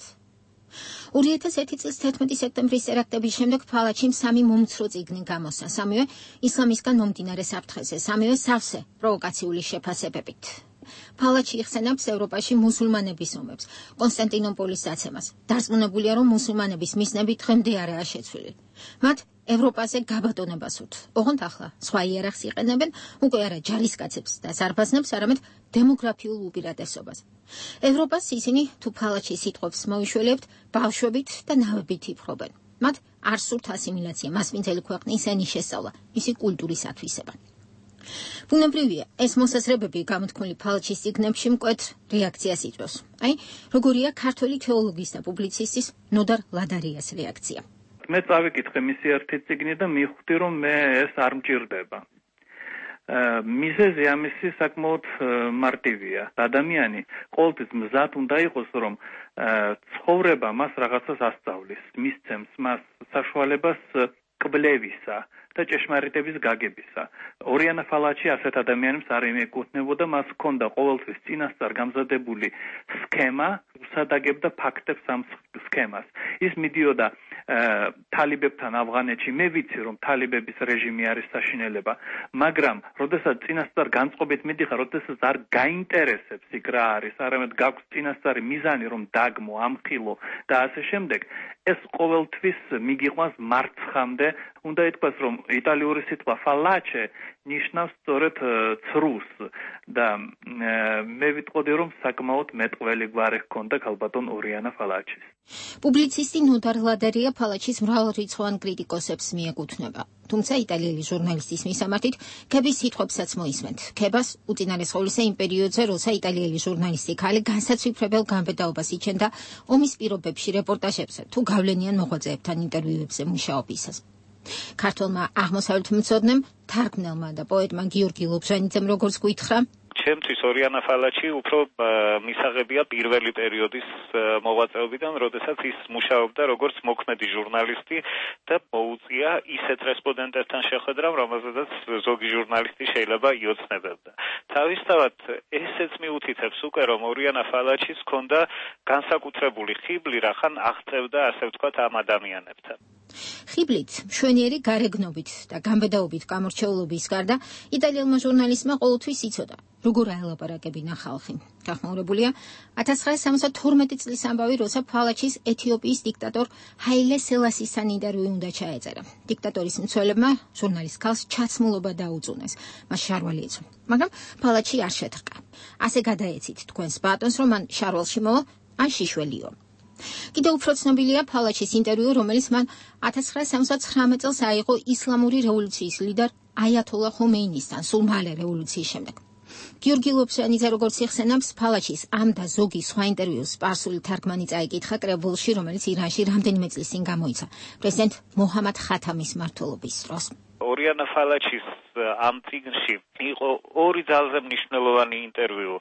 ორი ათას ერთი წლის თერთმეტი სექტემბრის ტერაქტების შემდეგ ფალაჩიმ სამი მომცრო წიგნი გამოსცა, სამივე ისლამისგან მომდინარე საფრთხეზე, სამივე სავსე პროვოკაციული შეფასებებით. ფალაჩი იხსენებს ევროპაში მუსულმანების ომებს, კონსტანტინოპოლის დაცემას. დარწმუნებულია, რომ მუსულმანების მიზნები დღემდე არაა შეცვლილი. მათ ევროპაზე გაბატონება სურთ. ოღონდ ახლა სხვა იარაღს იყენებენ, უკვე არა ჯარისკაცებს და ზარბაზნებს, არამედ დემოგრაფიულ უპირატესობას. ევროპას ისინი თუ ფალაჩის სიტყვებს მოიშველებთ, ბავშვებით და ნავებით იფრობენ. მათ არ სურთ ასიმილაცია, მასპინძელი ქვეყნის ენის შესწავლა, მისი კულტურის ათვისება. ბუნებრივია, ეს მოსაზრებები გამოთქმული ფალაჩის წიგნებში მკვეთრ რეაქციას იწვევს. აი, როგორია ქართველი თეოლოგის და პუბლიცისტის ნოდარ ლადარიას რეაქცია. მე წავიკითხე მისი ერთი წიგნი და მივხვდი, რომ მე ეს არ მჭირდება. მიზეზი ამისი საკმაოდ მარტივია. ადამიანი ყოველთვის მზად უნდა იყოს, რომ ცხოვრება მას რაღაცას ასწავლის, მისცემს მას საშუალებას კვლევისა და ჭეშმარიტების გაგებისა. ორიანა ფალაჩი ასეთ ადამიანებს არ ეკუთვნებოდა, მას ჰქონდა ყოველთვის წინასწარ გამზადებული სქემა, უსადაგებდა ფაქტებს ამ სქემას. ის მიდიოდა თალიბებთან ავღანეთში, მე ვიცი, რომ თალიბების რეჟიმი არის საშინელება, მაგრამ როდესაც წინასწარ განწყობით მიდიხარ, როდესაც არ გაინტერესებს იქ რა არის, არამედ გაქვს წინასწარი მიზანი, რომ დაგმო, ამხილო და ასე შემდეგ, ეს ყოველთვის მიგიყვანს მარცხამდე. უნდა ითქვას, რომ იტალიური სიტყვა ფალაჩე ნიშნავს სწორედ ცრუს და მე ვიტყოდი, რომ საკმაოდ მეტყველი გვარი ჰქონდა ქალბატონ ორიანა ფალაჩის. პუბლიცისტი ნოდარ ლადარია ფალაჩის მრავალრიცხოვან კრიტიკოსებს მიეკუთვნება. თუმცა იტალიელი ჟურნალისტის მისამართით, ქების სიტყვებსაც მოისმენთ. ქებას უწინარესყოლისა იმ პერიოდზე, როცა იტალიელი ჟურნალისტი ქალი განსაცვიფრებელ განბედაობას იჩენდა ომის პირობებში რეპორტაჟებზე თუ გავლენიან მოღვაწეებთან ინტერვიუებზე მუშაობისას. ქართველმა აღმოსავლეთმცოდნემ, თარგმნელმა და პოეტმა გიორგი ლობჟანიძემ როგორც გითხრა, ჩემთვის ორიანა ფალაჩი უფრო მისაღებია პირველი პერიოდის მოღვაწეობიდან, როდესაც ის მუშაობდა როგორც მოქმედი ჟურნალისტი და მოუწია ისეთ რესპონდენტებთან შეხვედრამ, რომელზედაც ზოგი ჟურნალისტი შეიძლება იოცნებებდა. თავისთავად ესეც მიუთითებს უკვე, რომ ორიანა ფალაჩის ჰქონდა განსაკუთრებული ხიბლი, რახან აღწევდა, ასე ვთქვათ, ამ ადამიანებთან. ხიბლით, მშვენიერი გარეგნობით და გამბედაობით გამორჩეულობის გარდა იტალიელმა ჟურნალისტმა ყოველთვის იცოდა, როგორ აელაპარაკებინა ხალხი. გახმაურებულია ათას ცხრაასი სამოცდათორმეტი წლის ამბავი, როცა ფალაჩის ეთიოპიის დიქტატორ ჰაილე სელასისთან ინტერვიუ უნდა ჩაეწერა. დიქტატორის მცველებმა ჟურნალისტ ქალს ჩაცმულობა დაუწუნეს, მას შარვალი ეცვა, მაგრამ ფალაჩი არ შეთხყა. ასე გადაეცით თქვენს ბატონს, რომ მან შარვალში მოვა, ან შიშველიო. კიდევ უფრო ცნობილია ფალაჩის ინტერვიუ, რომელიც მან ათას ცხრაასი სამოცდაცხრამეტ წელს აიღო ისლამური რევოლუციის ლიდერ აიათოლა ხომეინისთან, სულ მალე რევოლუციის შემდეგ. გიორგი ლობჟანიძე როგორც იხსენებს, ფალაჩის ამ და ზოგი სხვა ინტერვიუს სპარსული თარგმანი წაიკითხა კრებულში, რომელიც ირანში რამდენიმე წლის წინ გამოიცა პრეზიდენტ მოჰამად ხათამის მმართველობის დროს. ორიანა ფალაჩის ამ წიგნში იყო ორი ძალზე მნიშვნელოვანი ინტერვიუ.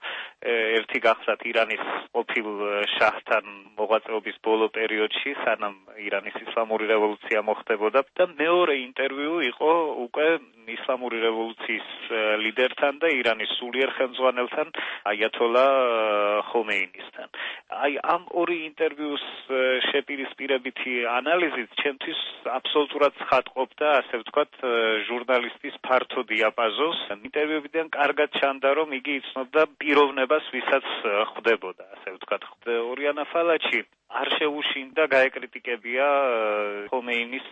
ერთი გახლავთ ირანის ყოფილ შაჰთან მოღვაწეობის ბოლო პერიოდში, სანამ ირანის ისლამური რევოლუცია მოხდებოდა, და მეორე ინტერვიუ იყო უკვე ისლამური რევოლუციის ლიდერთან და ირანის სულიერ ხელმძღვანელთან აიათოლა ხომეინისთან. აი ამ ორი ინტერვიუს შეპირისპირებითი ანალიზით ჩემთვის აბსოლუტურად ცხადყოფდა, ასე ვთქვათ, ჟურნალისტის ფართო დიაპაზონს. ინტერვიუებიდან კარგად ჩანდა, რომ იგი იცნობდა პიროვნებას, ვისაც ხვდებოდა, ასე ვთქვათ. ორიანა ფალაჩი არ შეუშინდა გაეკრიტიკებია ხომეინის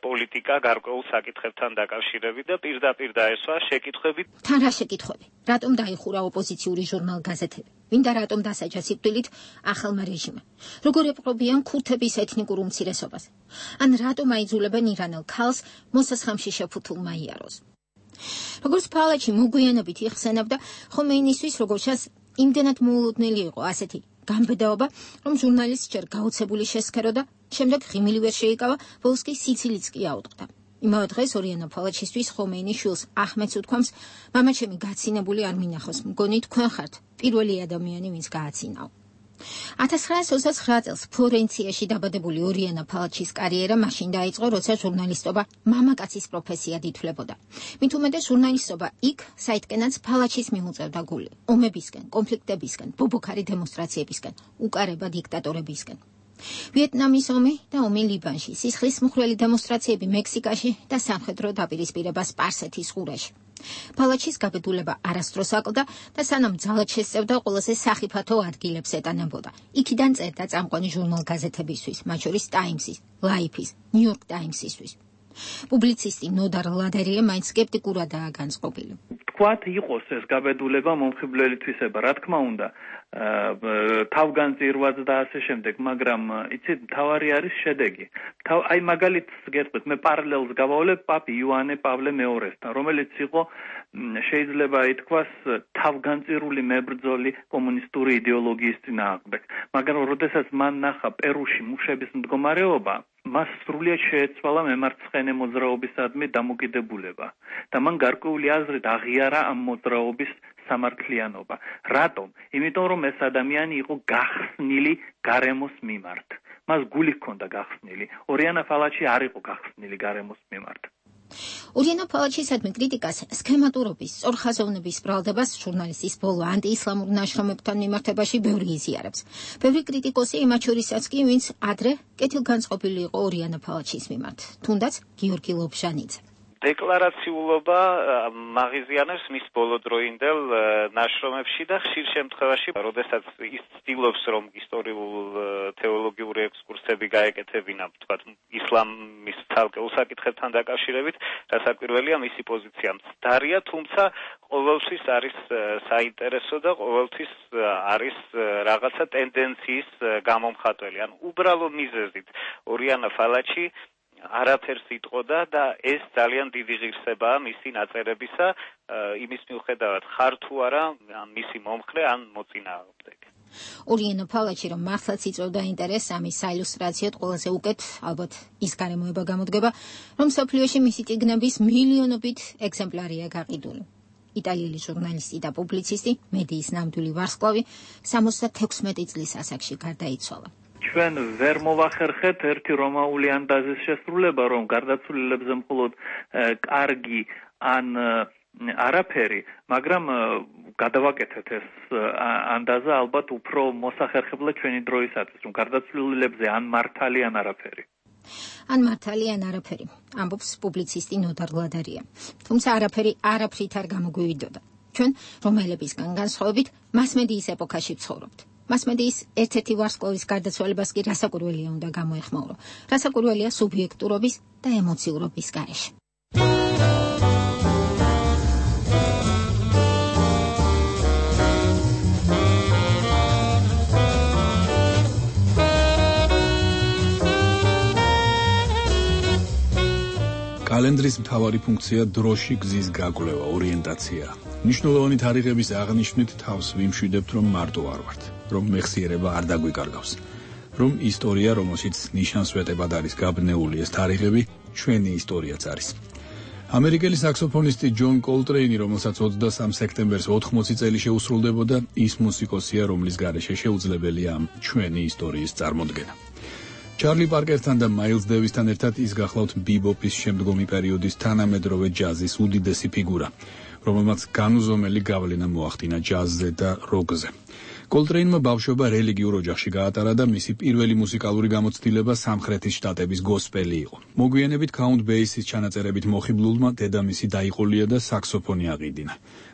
პოლიტიკა გარკვეულ საკითხებთან დაკავშირებით და პირდაპირ დაესვა შეკითხვები. თან რა შეკითხვები? რატომ დაიხურა ოპოზიციური ჟურნალ-გაზეთები? ვინ და რატომ დასაჯა სიკვდილით ახალმა რეჟიმმა? როგორ ეპყრობიან ქურთების ეთნიკურ უმცირესობას? ან რატომ აიძულებენ ირანელ ქალს მოსასხამში შეფუთულმა იაროს? როგორც ფალაჩი მოგვიანებით იხსენებდა, ხომეინისთვის როგორც ჩანს იმდენად მოულოდნელი იყო ასეთი გამბედაობა, რომ ჟურნალისტს ჯერ გაოცებული შესქერო და შემდეგ ღიმილი ვერ შეიკავა, ბოლოს კი სიცილიც კი აუტყდა. იმავე დღეს ორიანა ფალაჩისთვის ხომეინის შვილს აჰმედს უთქვამს, მამაჩემი გაცინებული არ მინახოს, მგონი თქვენ ხართ პირველი ადამიანი, ვინც გააცინაო. ათას ცხრაასი ოცდაცხრა წელს ფლორენციაში დაბადებული ორიანა ფალაჩის კარიერა მაშინ დაიწყო, როცა ჟურნალისტობა მამაკაცის პროფესიად ითვლებოდა. მით უმეტეს ჟურნალისტობა იქ, საიდკენაც ფალაჩის მიუწევდა გული, ომებისკენ, კონფლიქტებისკენ, ბობოქარი დემონსტრაციებისკენ, უკარება დიქტატორებისკენ. ვიეტნამის ომი და ომი ლიბანში, სისხლის მხვრელი დემონსტრაციები მექსიკაში და სამხედრო დაპირისპირება სპარსეთის ყურეში. ფალაჩის გაბედულება არასდროს აკლდა და სანამ ძალად შესწევდა, ყველაზე სახიფათო ადგილებს ეტანებოდა. იქიდან წერდა წამყვანი ჟურნალ-გაზეთებისთვის, მათ შორის ტაიმსის, ლაიფის, ნიუ-იორკ ტაიმსისთვის. პუბლიცისტი ნოდარ ლადერია მაინც სკეპტიკურადაა განწყობილი. თქვათ იყოს ეს გაბედულება მომხიბვლელითვისება, რა თქმა უნდა, თავგანწირვაც და ასე შემდეგ, მაგრამ იცით, მთავარი არის შედეგი. აი მაგალითს გეტყვით, მე პარალელს გავავლებ პაპ იოანე პავლე მეორესთან, რომელიც იყო შეიძლება ითქვას თავგანწირული მებრძოლი კომუნისტური იდეოლოგიის წინააღმდეგ. მაგრამ როდესაც მან ნახა პერუში მუშების მდგომარეობა, მას სრულიად შეეცვალა მემარცხენე მოძრაობისადმი დამოკიდებულება და მან გარკვეული აზრით აღიარა ამ მოძრაობის სამართლიანობა. რატომ? იმიტომ რომ ეს ადამიანი იყო გახსნილი გარემოს მიმართ. მას გული ჰქონდა გახსნილი. ორიანა ფალაჩი არ იყო გახსნილი გარემოს მიმართ. ორიანა ფალაჩისადმი კრიტიკას, სქემატურობის, სწორხაზოვნების ბრალდებას ჟურნალისტის ბოლო ანტიისლამურ ნაშრომებთან მიმართებაში ბევრი იზიარებს. ბევრი კრიტიკოსი იმათ შორისაც კი, ვინც ადრე კეთილგანწყობილი იყო ორიანა ფალაჩის მიმართ, თუნდაც გიორგი ლობჟანიძე. დეკლარაციულობა მაღიზიანებს მის ბოლოდროინდელ ნაშრომებში და ხშირ შემთხვევაში, როდესაც ის ცდილობს, რომ ისტორიულ თეოლოგიური ექსკურსები გაეკეთებინა, თქვათ, ისლამის ცალკეულ საკითხებთან დაკავშირებით, რასაკვირველია მისი პოზიცია მცდარია, თუმცა ყოველთვის არის საინტერესო და ყოველთვის არის რაღაცა ტენდენციის გამომხატველი. ან უბრალო მიზეზით ორიანა ფალაჩი არაფერს იტყოდა და ეს ძალიან დიდი ღირსებაა მისი ნაწერებისა, იმის მიუხედავად ხარ თუ არა მისი მომხრე ან მოწინააღმდეგე. ორიანა ფალაჩი რომ მართლაც იწვევდა ინტერესს ამის საილუსტრაციოდ ყველაზე უკეთ ალბათ ის გარემოება გამოდგება, რომ მსოფლიოში მისი წიგნების მილიონობით ეგზემპლარია გაყიდული. იტალიელი ჟურნალისტი და პუბლიცისტი, მედიის ნამდვილი ვარსკვლავი, სამოცდათექვსმეტი წლის ასაკში გარდაიცვალა. ჩვენ ვერ მოვახერხეთ ერთი რომაული ანდაზის შესრულება, რომ გარდაცვლილებზე მხოლოდ კარგი ან არაფერი, მაგრამ გადავაკეთეთ ეს ანდაზა ალბათ უფრო მოსახერხებლად ჩვენი დროისათვის, რომ გარდაცვლილებზე ან მართალი ან არაფერი. ან მართალი ან არაფერი, ამბობს პუბლიცისტი ნოდარ გლადარია. თუმცა არაფერი არაფრით არ გამოგვივიდოდა. ჩვენ რომელებისგან განსხვავებით მასმედიის ეპოქაში ვცხოვრობთ. მასმედიის ერთ-ერთი ვარსკვლავის გარდაცვალებას კი რასაკურველია უნდა გამოეხმაურო. რასაკურველია სუბიექტურობის და ემოციურობის გარეშე. კალენდრის მთავარი ფუნქცია დროში გზის გაკვლევა, ორიენტაცია. მნიშვნელოვანი თარიღების აღნიშვნით თავს ვიმშვიდებთ, რომ მარტო არ ვართ, რომ მეხსიერება არ დაგვიკარგავს, რომ ისტორია, რომელშიც ნიშანსვეტებად არის გაბნეული ეს თარიღები, ჩვენი ისტორიაც არის. ამერიკელი საქსოფონისტი ჯონ კოლტრეინი, რომელსაც ოცდასამ სექტემბერს ოთხმოცი წელი შეუსრულდებოდა, ის მუსიკოსია, რომლის გარეშე შეუძლებელია ამ ჩვენი ისტორიის წარმოდგენა. ჩარლი პარკერთან და მაილს დევისთან ერთად ის გახლავთ ბიბოპის შემდგომი პერიოდის თანამედროვე ჯაზის უდიდესი ფიგურა, რომელმაც განუზომელი გავლენა მოახდინა ჯაზზე და როკზე. კოლტრეინმა ბავშვობა რელიგიურ ოჯახში გაატარა და მისი პირველი მუსიკალური გამოცდილება სამხრეთის შტატების გოსპელი იყო. მოგვიანებით კაუნტ ბეისის ჩანაწერებით მოხიბლულმა დედამისი დაიყოლია და საქსოფონი აყიდინა.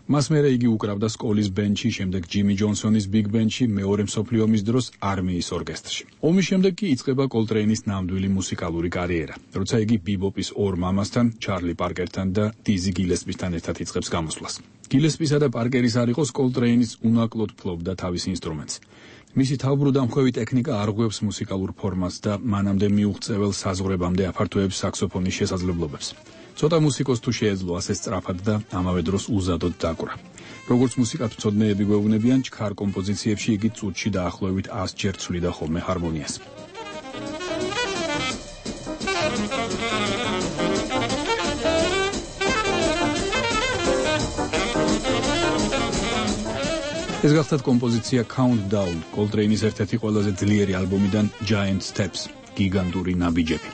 მას მერე იგი უკრავდა სკოლის ბენდში, შემდეგ ჯიმი ჯონსონის ბიგ ბენდში, მეორე მსოფლიო ომის დროს არმიის ორკესტრში. ომის შემდეგ კი იწყება კოლტრეინის ნამდვილი მუსიკალური კარიერა, როცა იგი ბიბოპის ორ მამასთან, ჩარლი პარკერთან და დიზი გილესპისთან ერთად იწყებს გამოსვლას. გილესპისა და პარკერის არ იყოს, კოლტრეინის უნაკლოდ ფლობდა თავის ინსტრუმენტს. მისი თავბრუდამხვევი ტექნიკა არღვევს მუსიკალურ ფორმას და მანამდე მიუღწეվել საზღვრებამდე აფართოებს საქსოფონის შესაძლებლობებს. ცოტა მუსიკოს თუ შეეძლო ასე სწრაფად და ამავე დროს უზადოდ დაკვრა. როგორც მუსიკათმცოდნეები გვეუბნებიან, ჩქარ კომპოზიციებში იგი წუთში დაახლოებით ას ჯერ ცვლიდა ხოლმე ჰარმონიას. ეს გახლავთ კომპოზიცია Countdown, კოლტრეინის ერთ-ერთი ყველაზე ძლიერი ალბომიდან Giant Steps, გიგანტური ნაბიჯები.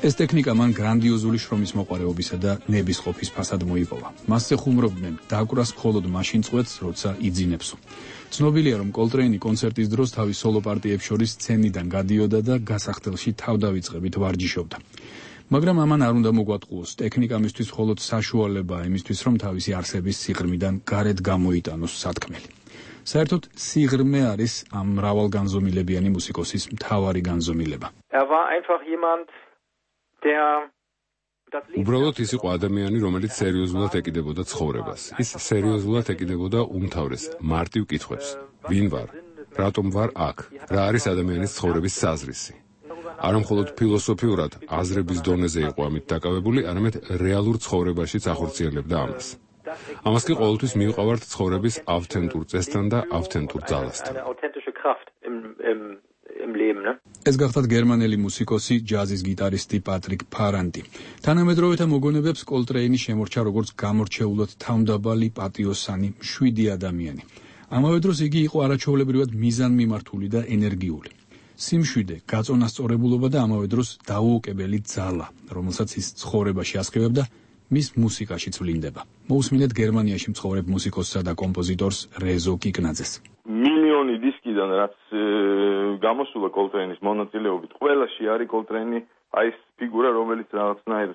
ეს ტექნიკა მან გრანდიოზული შრომის მოყვარეობისა და ნების ყოფის ფასად მოიპოვა. მასზე ხუმრობდნენ დაკვრას მხოლოდ მაშინ წყვეტს, როცა იძინებსო. ცნობილია, რომ კოლტრეინი კონცერტის დროს თავის სოლო პარტიებს შორის სცენიდან გადიოდა და გასახდელში თავდავიწყებით ვარჯიშობდა. მაგრამ ამან არ უნდა მოგვატყუოს, ტექნიკა მისთვის მხოლოდ საშუალებაა იმისთვის, რომ თავისი არსების სიღრმიდან გარეთ გამოიტანოს სათქმელი. საერთოდ სიღრმე არის ამ მრავალგანზომილებიანი მუსიკოსის მთავარი განზომილება. Er war einfach jemand, der უბრალოდ ის იყო ადამიანი, რომელიც სერიოზულად ეკიდებოდა ცხოვრებას. ის სერიოზულად ეკიდებოდა უმთავრეს მარტივ კითხვებს. ვინ ვარ? რატომ ვარ აქ? რა არის ადამიანის ცხოვრების საზრისი? არა მხოლოდ ფილოსოფიურად აზრების დონეზე იყო ამით დაკავებული, არამედ რეალურ ცხოვრებაშიც ახორციელებდა ამას. ამას კი ყოველთვის მივყავართ ცხოვრების ავთენტურ წესთან და ავთენტურ ძალასთან. ეს გახლავთ გერმანელი მუსიკოსი, ჯაზის გიტარისტი პატრიკ ფარანტი. თანამედროვეთა მოგონებებს კოლტრეინი შემორჩა როგორც გამორჩეულად თავმდაბალი, პატიოსანი, მშვიდი ადამიანი. ამავე დროს იგი იყო არაჩვეულებრივად მიზანმიმართული და ენერგიული. სიმშვიდე, გაწონასწორებულობა და ამავე დროს დაუოკებელი ძალა, რომელსაც ის ცხოვრებაში ასხივებდა, მის მუსიკაშიც ვლინდება. მოусმინეთ გერმანიაში მცხოვრებ მუსიკოსსა და კომპოზიტორს რეზო კიკნაძეს. მილიონი დისკიდან რაც გამოსულა კოლტრეინის მონაწილეობით, ყველაში არის კოლტრეინი აი ეს ფიგურა, რომელიც რაღაცნაირ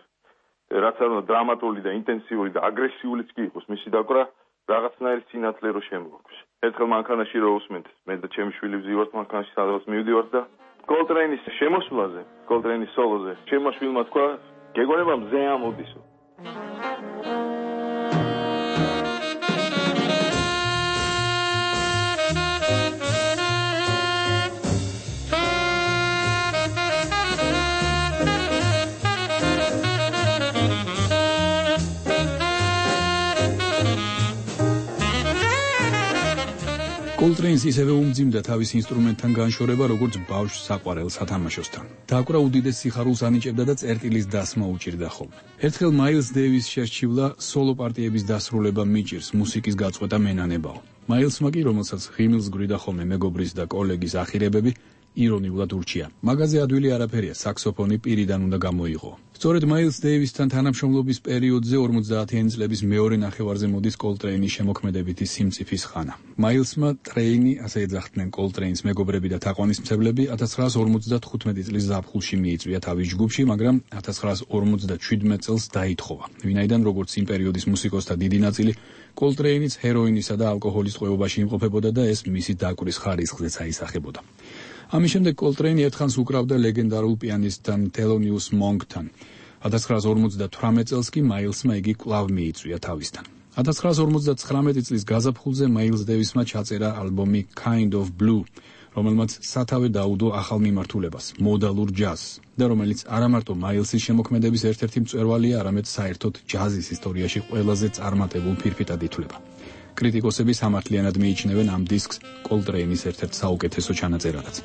რაც არ უნდა დრამატული და ინტენსიური და აგრესიულიც კი იყოს მისი დაკვრა, რაღაცნაირ სინათლე რო შემოგვაქვს. ერთხელ მანქანაში რო უსმენთ, მე და ჩემი შვილი ვზივართ მანქანაში, სადღაც მივდივართ და კოლტრეინის შემოსვლაზე, კოლტრეინის სოლოზე, ჩემმა შვილმა თქვა, გეგონება მზე ამოდისო. კოლტრეინს ისევე უმძიმდა თავის ინსტრუმენტთან განშორება, როგორც ბავშვს საყვარელ სათამაშოსთან. დაკვრა უდიდეს სიხარულს ანიჭებდა და წერტილის დასმა უჭირდა ხოლმე. ერთხელ მაილს დევის შერჩივლა სოლო პარტიების დასრულება მიჭირს, მუსიკის გაწყვეტა მენანებაო. მაილსმა კი, რომელსაც ღიმილს გვრიდა ხოლმე მეგობრის და კოლეგის ახირებები, ირონიულად ურჩია. მაგაზე ადვილი არაფერია, საქსოფონი პირიდან უნდა გამოიღო. სწორედ მაილს დეივისთან თანამშრომლობის პერიოდზე ორმოცდაათიანი წლების მეორე ნახევარზე მოდის კოლტრეინის შემოქმედებითი სიმწიფის ხანა. მაილსმა ტრეინი, ასე ეძახდნენ კოლტრეინს მეგობრები და თაყვანისმცემლები, ათას ცხრაას ორმოცდათხუთმეტი წლის ზაფხულში მიიწვია თავის ჯგუფში, მაგრამ ათას ცხრაას ორმოცდაჩვიდმეტ წელს დაითხოვა. ვინაიდან როგორც იმ პერიოდის მუსიკოსთა დიდი ნაწილი, კოლტრეინიც ჰეროინისა და ალკოჰოლის ტყვეობაში იმყოფებოდა და ეს მისი დაკვრის ხარისხზეც აისახებოდა. ამის შემდეგ კოლტრეინი ერთხანს უკრავდა ლეგენდარულ პიანისტთან თელონიუს მონკთან. ათას ცხრაას ორმოცდათვრამეტ წელს კი მაილსმა იგი კვლავ მიიწვია თავისთან. ათას ცხრაას ორმოცდაცხრამეტი წლის გაზაფხულზე მაილს დევისმა ჩაწერა ალბომი Kind of Blue, რომელმაც სათავე დაუდო ახალ მიმართულებას, მოდალურ ჯაზს და რომელიც არა მარტო მაილსის შემოქმედების ერთ-ერთი მწვერვალია, არამედ საერთოდ ჯაზის ისტორიაში ყველაზე წარმატებულ ფირფიტად ითვლება. კრიტიკოსები სამართლიანად მიიჩნევენ ამ დისკს კოლტრეინის ერთ-ერთ საუკეთესო ჩანაწერადაც.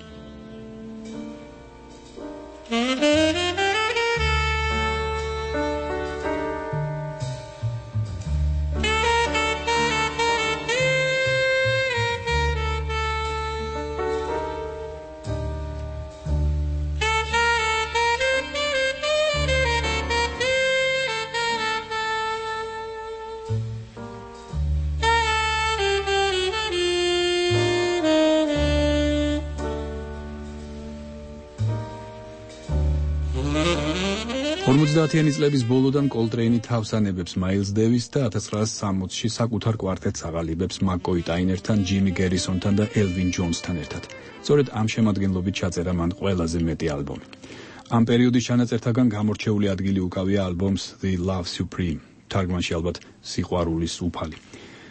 ორმოცდაათიანი წლების ბოლოდან კოლტრეინი თავს ანებებს მაილს დევის და ათას ცხრაას სამოცში საკუთარ კვარტეტს აღალიბებს მაკ-კოი ტაინერთან, ჯიმი გერისონთან და ელვინ ჯონსთან ერთად. სწორედ ამ შემადგენლობით ჩაწერა მან ყველაზე მეტი ალბომი. ამ პერიოდის ჩანაწერთაგან გამორჩეული ადგილი უკავია ალბომს The Love Supreme, თარგმანში ალბათ სიყვარულის უფალი.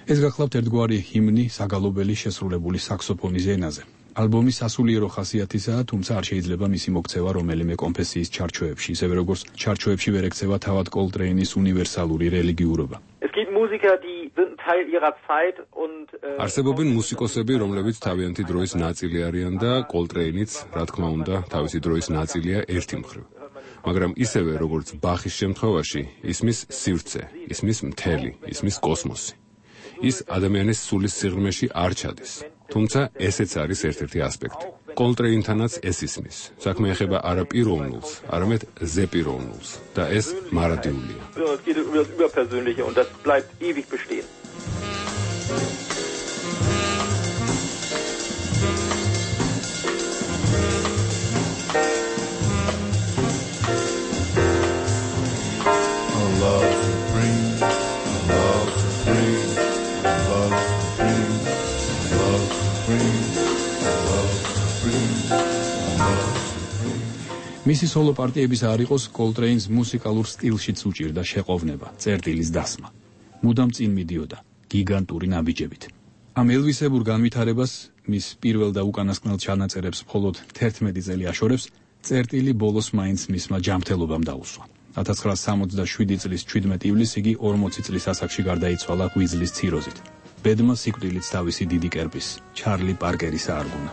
ეს გახლავთ ერთგვარი ჰიმნი საგალობელი შესრულებული საქსოფონის ენაზე. ალბომი სასულიერო ხასიათისაა, თუმცა არ შეიძლება მისი მოქცევა რომელიმე კონფესიის ჩარჩოებში, ისევე როგორც ჩარჩოებში ვერ ექცევა თავად კოლტრეინის უნივერსალური რელიგიურობა. არსებობენ მუსიკოსები, რომლებიც თავიანთი დროის ნაწილი არიან და კოლტრეინიც, რა თქმა უნდა, თავისი დროის ნაწილია ერთი მხრივ. მაგრამ ისევე როგორც ბახის შემთხვევაში, ისმის სივრცე, ისმის მთელი, ისმის კოსმოსი. ის ადამიანის სულის სიღრმეში არ ჩადის. თუმცა ესეც არის ერთ-ერთი ასპექტი. კოლტრეინთანაც ეს ისმის. საქმე ეხება არა პიროვნულს, არამედ ზეპიროვნულს და ეს მარადიულია. მისი სოლო პარტიების არ იყოს კოლტრეინს მუსიკალურ სტილშიც უჭირდა შეყოვნება, წერტილის დასმა. მუდამ წინ მიდიოდა გიგანტური ნაბიჯებით. ამ ელვისებურ განვითარებას, მის პირველ და უკანასკნელ ჩანაწერებს მხოლოდ თერთმეტი წელი აშორებს, წერტილი ბოლოს მაინც მისმა ჯანმრთელობამ დაუსვა. ათას ცხრაას სამოცდაშვიდი წლის ჩვიდმეტ ივლისს იგი ორმოცი წლის ასაკში გარდაიცვალა ღვიძლის ციროზით. ბედმა სიკვდილით თავისი დიდი კერპის, ჩარლი პარკერის აარგუნა.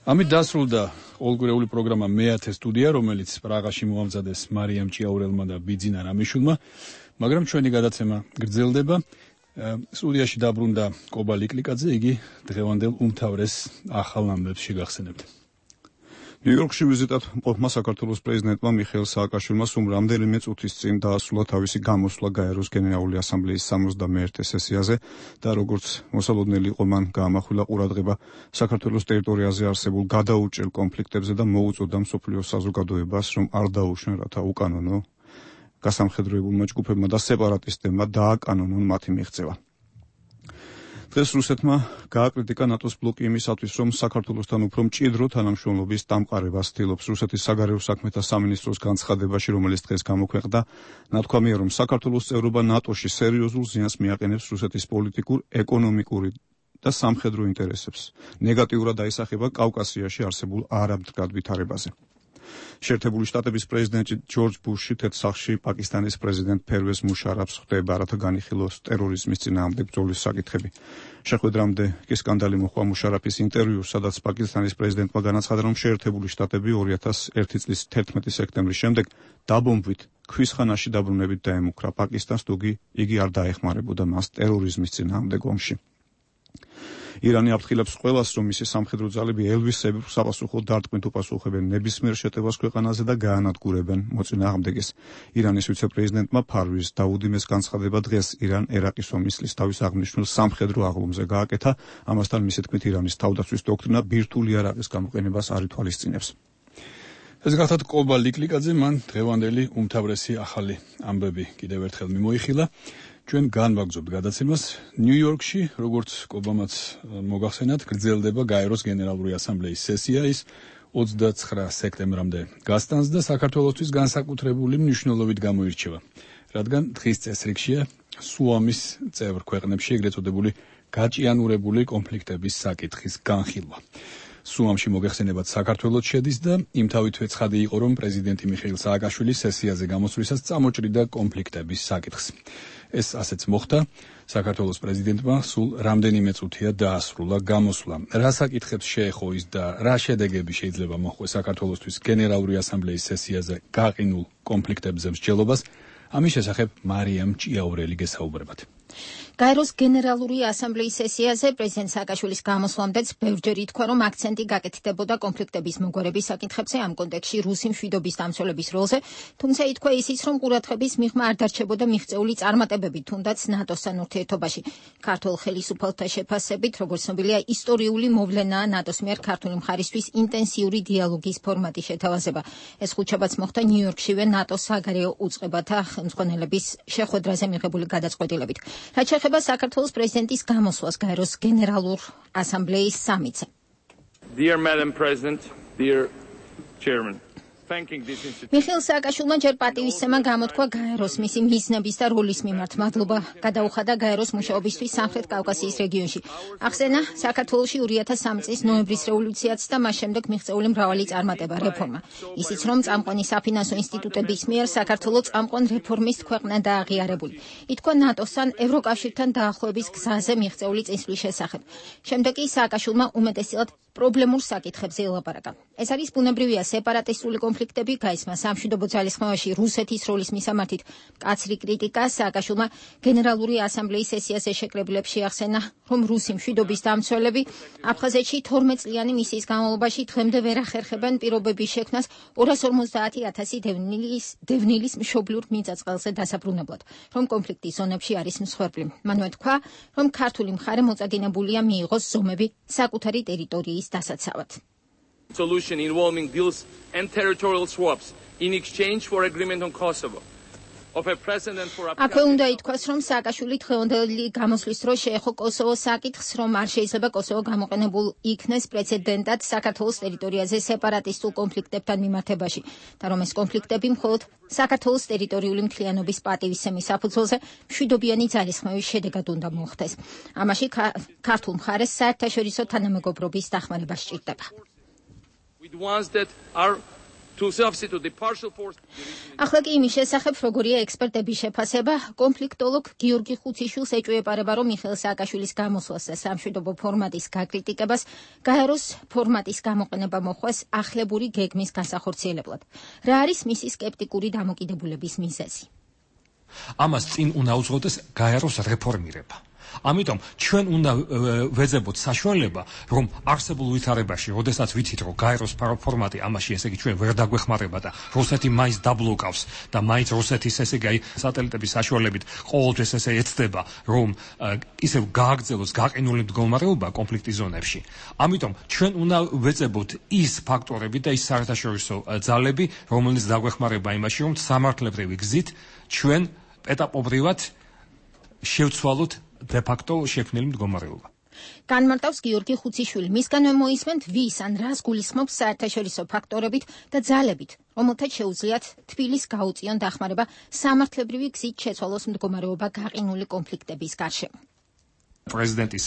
ამით დასრულდა ყოველკვირეული პროგრამა მეათე სტუდია, რომელიც პრაღაში მოამზადეს მარიამ ჭიაურელმა და ბიძინა რამიშვილმა, მაგრამ ჩვენი გადაცემა გრძელდება. სტუდიაში დაბრუნდა კობა ლიკლიკაძე, იგი დღევანდელ უმთავრეს ახალ ამბებს შეგახსენებთ. ნიუ-იორკში ვიზიტად მყოფმა საქართველოს პრეზიდენტმა მიხეილ სააკაშვილმა სულ რამდენიმე წუთის წინ დაასრულა თავისი გამოსვლა გაეროს გენერალური ასამბლეის სამოცდამეერთე სესიაზე და როგორც მოსალოდნელი იყო მან გაამახვილა ყურადღება საქართველოს ტერიტორიაზე არსებულ გადაურჭრელ კონფლიქტებზე და მოუწოდა მსოფლიოს საზოგადოებას რომ არ დაუშვენ რათა უკანონო გასამხედროებულმა ჯგუფებმა და სეპარატისტებმა დააკანონონ მათი მიღწევა. დღეს რუსეთმა გააკრიტიკა ნატოს ბლოკი იმისათვის, რომ საქართველოსთან უფრო მჭიდრო თანამშრომლობის დამყარებას ცდილობს. რუსეთის საგარეო საქმეთა სამინისტროს განცხადებაში, რომელიც დღეს გამოქვეყნდა, ნათქვამია, რომ საქართველოს წევრობა ნატოში სერიოზულ ზიანს მიაყენებს რუსეთის პოლიტიკურ, ეკონომიკური და სამხედრო ინტერესებს. ნეგატიურად აისახება კავკასიაში არსებულ არამდგრად ვითარებაზე. შეერთებული შტატების პრეზიდენტი ჯორჯ ბუში თეთრსახში პაკისტანის პრეზიდენტ ფერვეზ მუშარაფს ხვდება, რათა განიხილოს ტერორიზმის წინააღმდეგ ბრძოლის საკითხები. შეხვედრამდე კი სკანდალი მოჰყვა მუშარაფის ინტერვიუს, სადაც პაკისტანის პრეზიდენტმა განაცხადა, რომ შეერთებული შტატები ორი ათას ერთი წლის თერთმეტი სექტემბრის შემდეგ დაბომბვით ქვისხანაში დაბრუნებით დაემუქრა პაკისტანს, თუგი იგი არ დაეხმარებოდა მას ტერორიზმის წინააღმდეგ ომში. ირანი აფრთხილებს ყველას, რომ მისი სამხედრო ძალები ელვისებრ საპასუხოდ დარტყმით უპასუხებენ ნებისმიერ შეტევას ქვეყანაზე და გაანადგურებენ მოწინააღმდეგეს. ირანის ვიცე-პრეზიდენტმა ფარვის დაუდიმეს განცხადება დღეს ირან-ერაყის ომის ლისტავის აღნიშნულ სამხედრო აღლუმზე გააკეთა. ამასთან მისი თქმით ირანის თავდაცვის დოქტრინა ბირთვული იარაღის გამოყენებას არ ითვალისწინებს. ეს გახლავთ კობა ლიკლიკაძე, მან დღევანდელი უმთავრესი ახალი ამბები კიდევ ერთხელ მიმოიხილა. ჩვენ განვაგრძობთ გადაცემას. ნიუ-იორკში, როგორც კობამაც მოგახსენათ, გრძელდება გაეროს გენერალური ასამბლეის სესია, ის ოცდაცხრა სექტემბრამდე გასტანს და საქართველოსთვის განსაკუთრებული მნიშვნელობით გამოირჩევა, რადგან დღის წესრიგშია სუამის წევრ ქვეყნებში ეგრეთ წოდებული გაჭიანურებული კონფლიქტების საკითხის განხილვა. სუამში მოგეხსენებათ საქართველოს შედის და იმთავითვე ცხადი იყო, რომ პრეზიდენტი მიხეილ სააკაშვილი სესიაზე გამოსვლისას წამოჭრიდა კონფლიქტების საკითხს. ეს ასეც მოხდა. საქართველოს პრეზიდენტმა სულ რამდენიმე წუთია დაასრულა გამოსვლა. რა საკითხებს შეეხო ის და რა შედეგები შეიძლება მოჰყვეს საქართველოსთვის გენერალური ასამბლეის სესიაზე გაყინულ კონფლიქტებზე მსჯელობას, ამის შესახებ მარიამ ჭიაურელი გესაუბრებათ. გაეროს გენერალური ასამბლეის სესიაზე პრეზიდენტ სააკაშვილის გამოსვლამდეც ბევრჯერ ითქვა, რომ აქცენტი გაკეთდებოდა კონფლიქტების მოგვარების საკითხებზე, ამ კონტექსტში რუსი მშვიდობის დამცველების როლზე, თუმცა ითქვა ისიც, რომ ყურადღების მიღმა არ დარჩებოდა მიღწეული წარმატებები, თუნდაც ნატოსთან ურთიერთობაში. ქართულ ხელისუფალთა შეფასებით, როგორც ცნობილია, ისტორიული მოვლენაა ნატოს მიერ ქართული მხარისთვის ინტენსიური დიალოგის ფორმატი შეთავაზება. ეს ხუთშაბათს მოხდა ნიუ-იორკშივე ნატოს საგარეო უწყებათა ხელმძღვანელების შეხვედრაზე მიღებული გადაწყვეტილებით. რაც შეეხება საქართველოს პრეზიდენტის გამოსვლას გაეროს გენერალურ ასამბლეის სამიტზე. Dear Madam President, dear Chairman, მიხეილ სააკაშვილმა ჯერ პატივისცემა გამოთქვა გაეროს მისი მიზნების და როლის მიმართ. მადლობა გადაუხადა გაეროს მუშაობისთვის სამხრეთ კავკასიის რეგიონში. ახსენა საქართველოში ორი ათას სამი წლის ნოემბრის რევოლუციაც და მას შემდეგ მიღწეული მრავალი წარმატება რეფორმა. ისიც რომ წამყვანი საფინანსო ინსტიტუტების მიერ საქართველოს წამყვან რეფორმის ქვეყნა დააღიარებული. ითქვა ნატოსთან, ევროკავშირთან დაახლოების გზაზე მიღწეული წინსვლის შესახებ. შემდეგ კი სააკაშვილმა უმეტესწილად პრობლემურ საკითხებზე ელაპარაკა. ეს არის ბუნებრივია სეპარატისტული კონფლიქტები, გაისმა სამშვიდობო ძალისხმევაში რუსეთის როლის მისამართით მკაცრი კრიტიკა. სააკაშვილმა გენერალური ასამბლეის სესიაზე შეკრებილებს შეახსენა, რომ რუსი მშვიდობის დამცველები აფხაზეთში თორმეტ წლიანი მისიის განმავლობაში დღემდე ვერ ახერხებენ პირობების შექმნას ორას ორმოცდაათი ათასი დევნილის დევნილის მშობლიურ მიწა-წყალზე დასაბრუნებლად, რომ კონფლიქტის ზონებში არის მსხვერპლი. მანვე თქვა, რომ ქართული მხარე მოწაგინებულია მიიღოს ზომები საკუთარი ტერიტორიის დასაცავად. Solution involving deals and territorial swaps in exchange for agreement on Kosovo. აქვე უნდა ითქვას, რომ სააკაშვილი დღევანდელი გამოსვლის დროს შეეხო კოსოვოს საკითხს, რომ არ შეიძლება კოსოვო გამოყენებულ იქნეს პრეცედენტად საქართველოს ტერიტორიაზე სეპარატისტულ კონფლიქტებთან მიმართებაში და რომ ეს კონფლიქტები მხოლოდ საქართველოს ტერიტორიული მთლიანობის პატივისცემის საფუძველზე მშვიდობიანი ძალისხმევის შედეგად უნდა მოხდეს. ამაში ქართულ მხარეს საერთაშორისო თანამეგობრობის დახმარება სჭირდება. ახლა კი იმის შესახებ, როგორია ექსპერტების შეფასება, კონფლიქტოლოგ გიორგი ხუციშვილს ეჭვეპარება, რომ მიხეილ სააკაშვილის გამოსვლას და სამშვიდობო ფორმატის გაკრიტიკებას გაეროს ფორმატის გამოყენება მოხდეს ახლებური გეგმის განსახორციელებლად. რა არის მისი სკეპტიკური დამოკიდებულების მიზეზი? ამას წინ უნდა უძღოდეს გაეროს რეფორმირება. ამიტომ ჩვენ უნდა ვეძებოთ საშუალება, რომ არსებულ ვითარებაში, როდესაც ვიცით, რომ გაეროს ფორმატი ამაში, ესე იგი ჩვენ ვერ დაგვეხმარება და რუსეთი მაინც დაბლოკავს და მაინც რუსეთის ესე იგი სატელიტების საშუალებით ყოველთვის ესე ეცდება, რომ ისევ გააგრძელოს გაყინული მდგომარეობა კონფლიქტის ზონებში. ამიტომ ჩვენ უნდა ვეძებოთ ის ფაქტორები და ის საერთაშორისო ძალები, რომელიც დაგვეხმარება იმაში, რომ სამართლებრივი გზით ჩვენ ეტაპობრივად შევცვალოთ de facto შექმნილი მდგომარეობა. განმარტავს გიორგი ხუციშვილი. მისგანვე მოისმენთ ვის ან რას გულისხმობს საერთაშორისო ფაქტორებით და ძალებით, რომელთაც შეუძლიათ თბილისს გაუწიონ დახმარება სამართლებრივი გზით შეცვალოს მდგომარეობა გაყინული კონფლიქტების გარშემო. პრეზიდენტის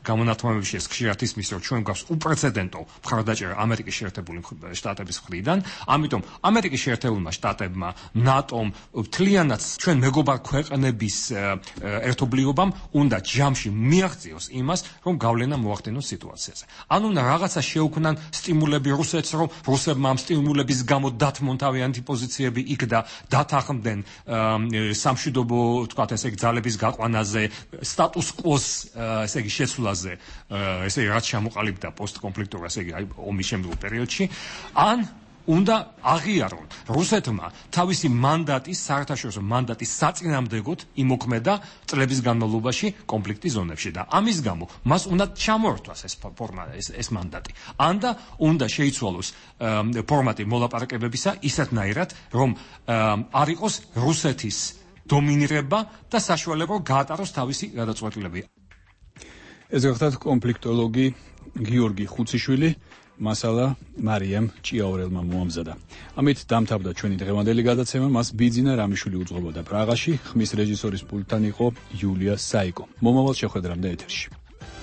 გამონათმავებში ეს ხშირად ისმის, რომ ჩვენ გვაქვს უპრეცედენტო მხარდაჭერა ამერიკის შეერთებული შტატების მხრიდან, ამიტომ ამერიკის შეერთებულმა შტატებმა, ნატომ, მთლიანად ჩვენ მეგობარ ქვეყნების ერთობლიობამ უნდა ჯამში მიაღწიოს იმას, რომ გავლენა მოახდინოს სიტუაციაზე. ანუ უნდა რაღაცა შეუქმნან სტიმულები რუსეთს, რომ რუსებმა ამ სტიმულების გამო დათმონ თავიანთი პოზიციები იქ და დათანხმდნენ სამშვიდობო, თქვათ ესე იგი ძალების გაყვანაზე, სტატუს კვოს ესე იგი შესვლაზე, ესე იგი რაც შემოყალიბდა პოსტკონფლიქტურ, ესე იგი ომის შემდგომ პერიოდში, ან უნდა აღიარონ რუსეთმა თავისი მანდატის, საერთაშორისო მანდატის საწინააღმდეგოდ იმოქმედა წლების განმავლობაში კონფლიქტის ზონებში და ამის გამო მას უნდა ჩამოართვას ეს ფორმა, ეს, ეს მანდატი. ან და უნდა შეიცვალოს ფორმატი მოლაპარაკებებისა ისეთნაირად, რომ არ იყოს რუსეთის დომინირება და საშუალება გაატაროს თავისი გადაწყვეტილებები. ეს გახლავთ კონფლიქტოლოგი გიორგი ხუციშვილი, მასალა მარიამ ჭიაურელმა მოამზადა. ამით დამთავრდა ჩვენი დღევანდელი გადაცემა. მას ბიძინა რამიშვილი უძღვებოდა პრაღაში, ხმის რეჟისორის პულტთან იყო იულია საიკო. მომავალ შეხვედრამდე ეთერში.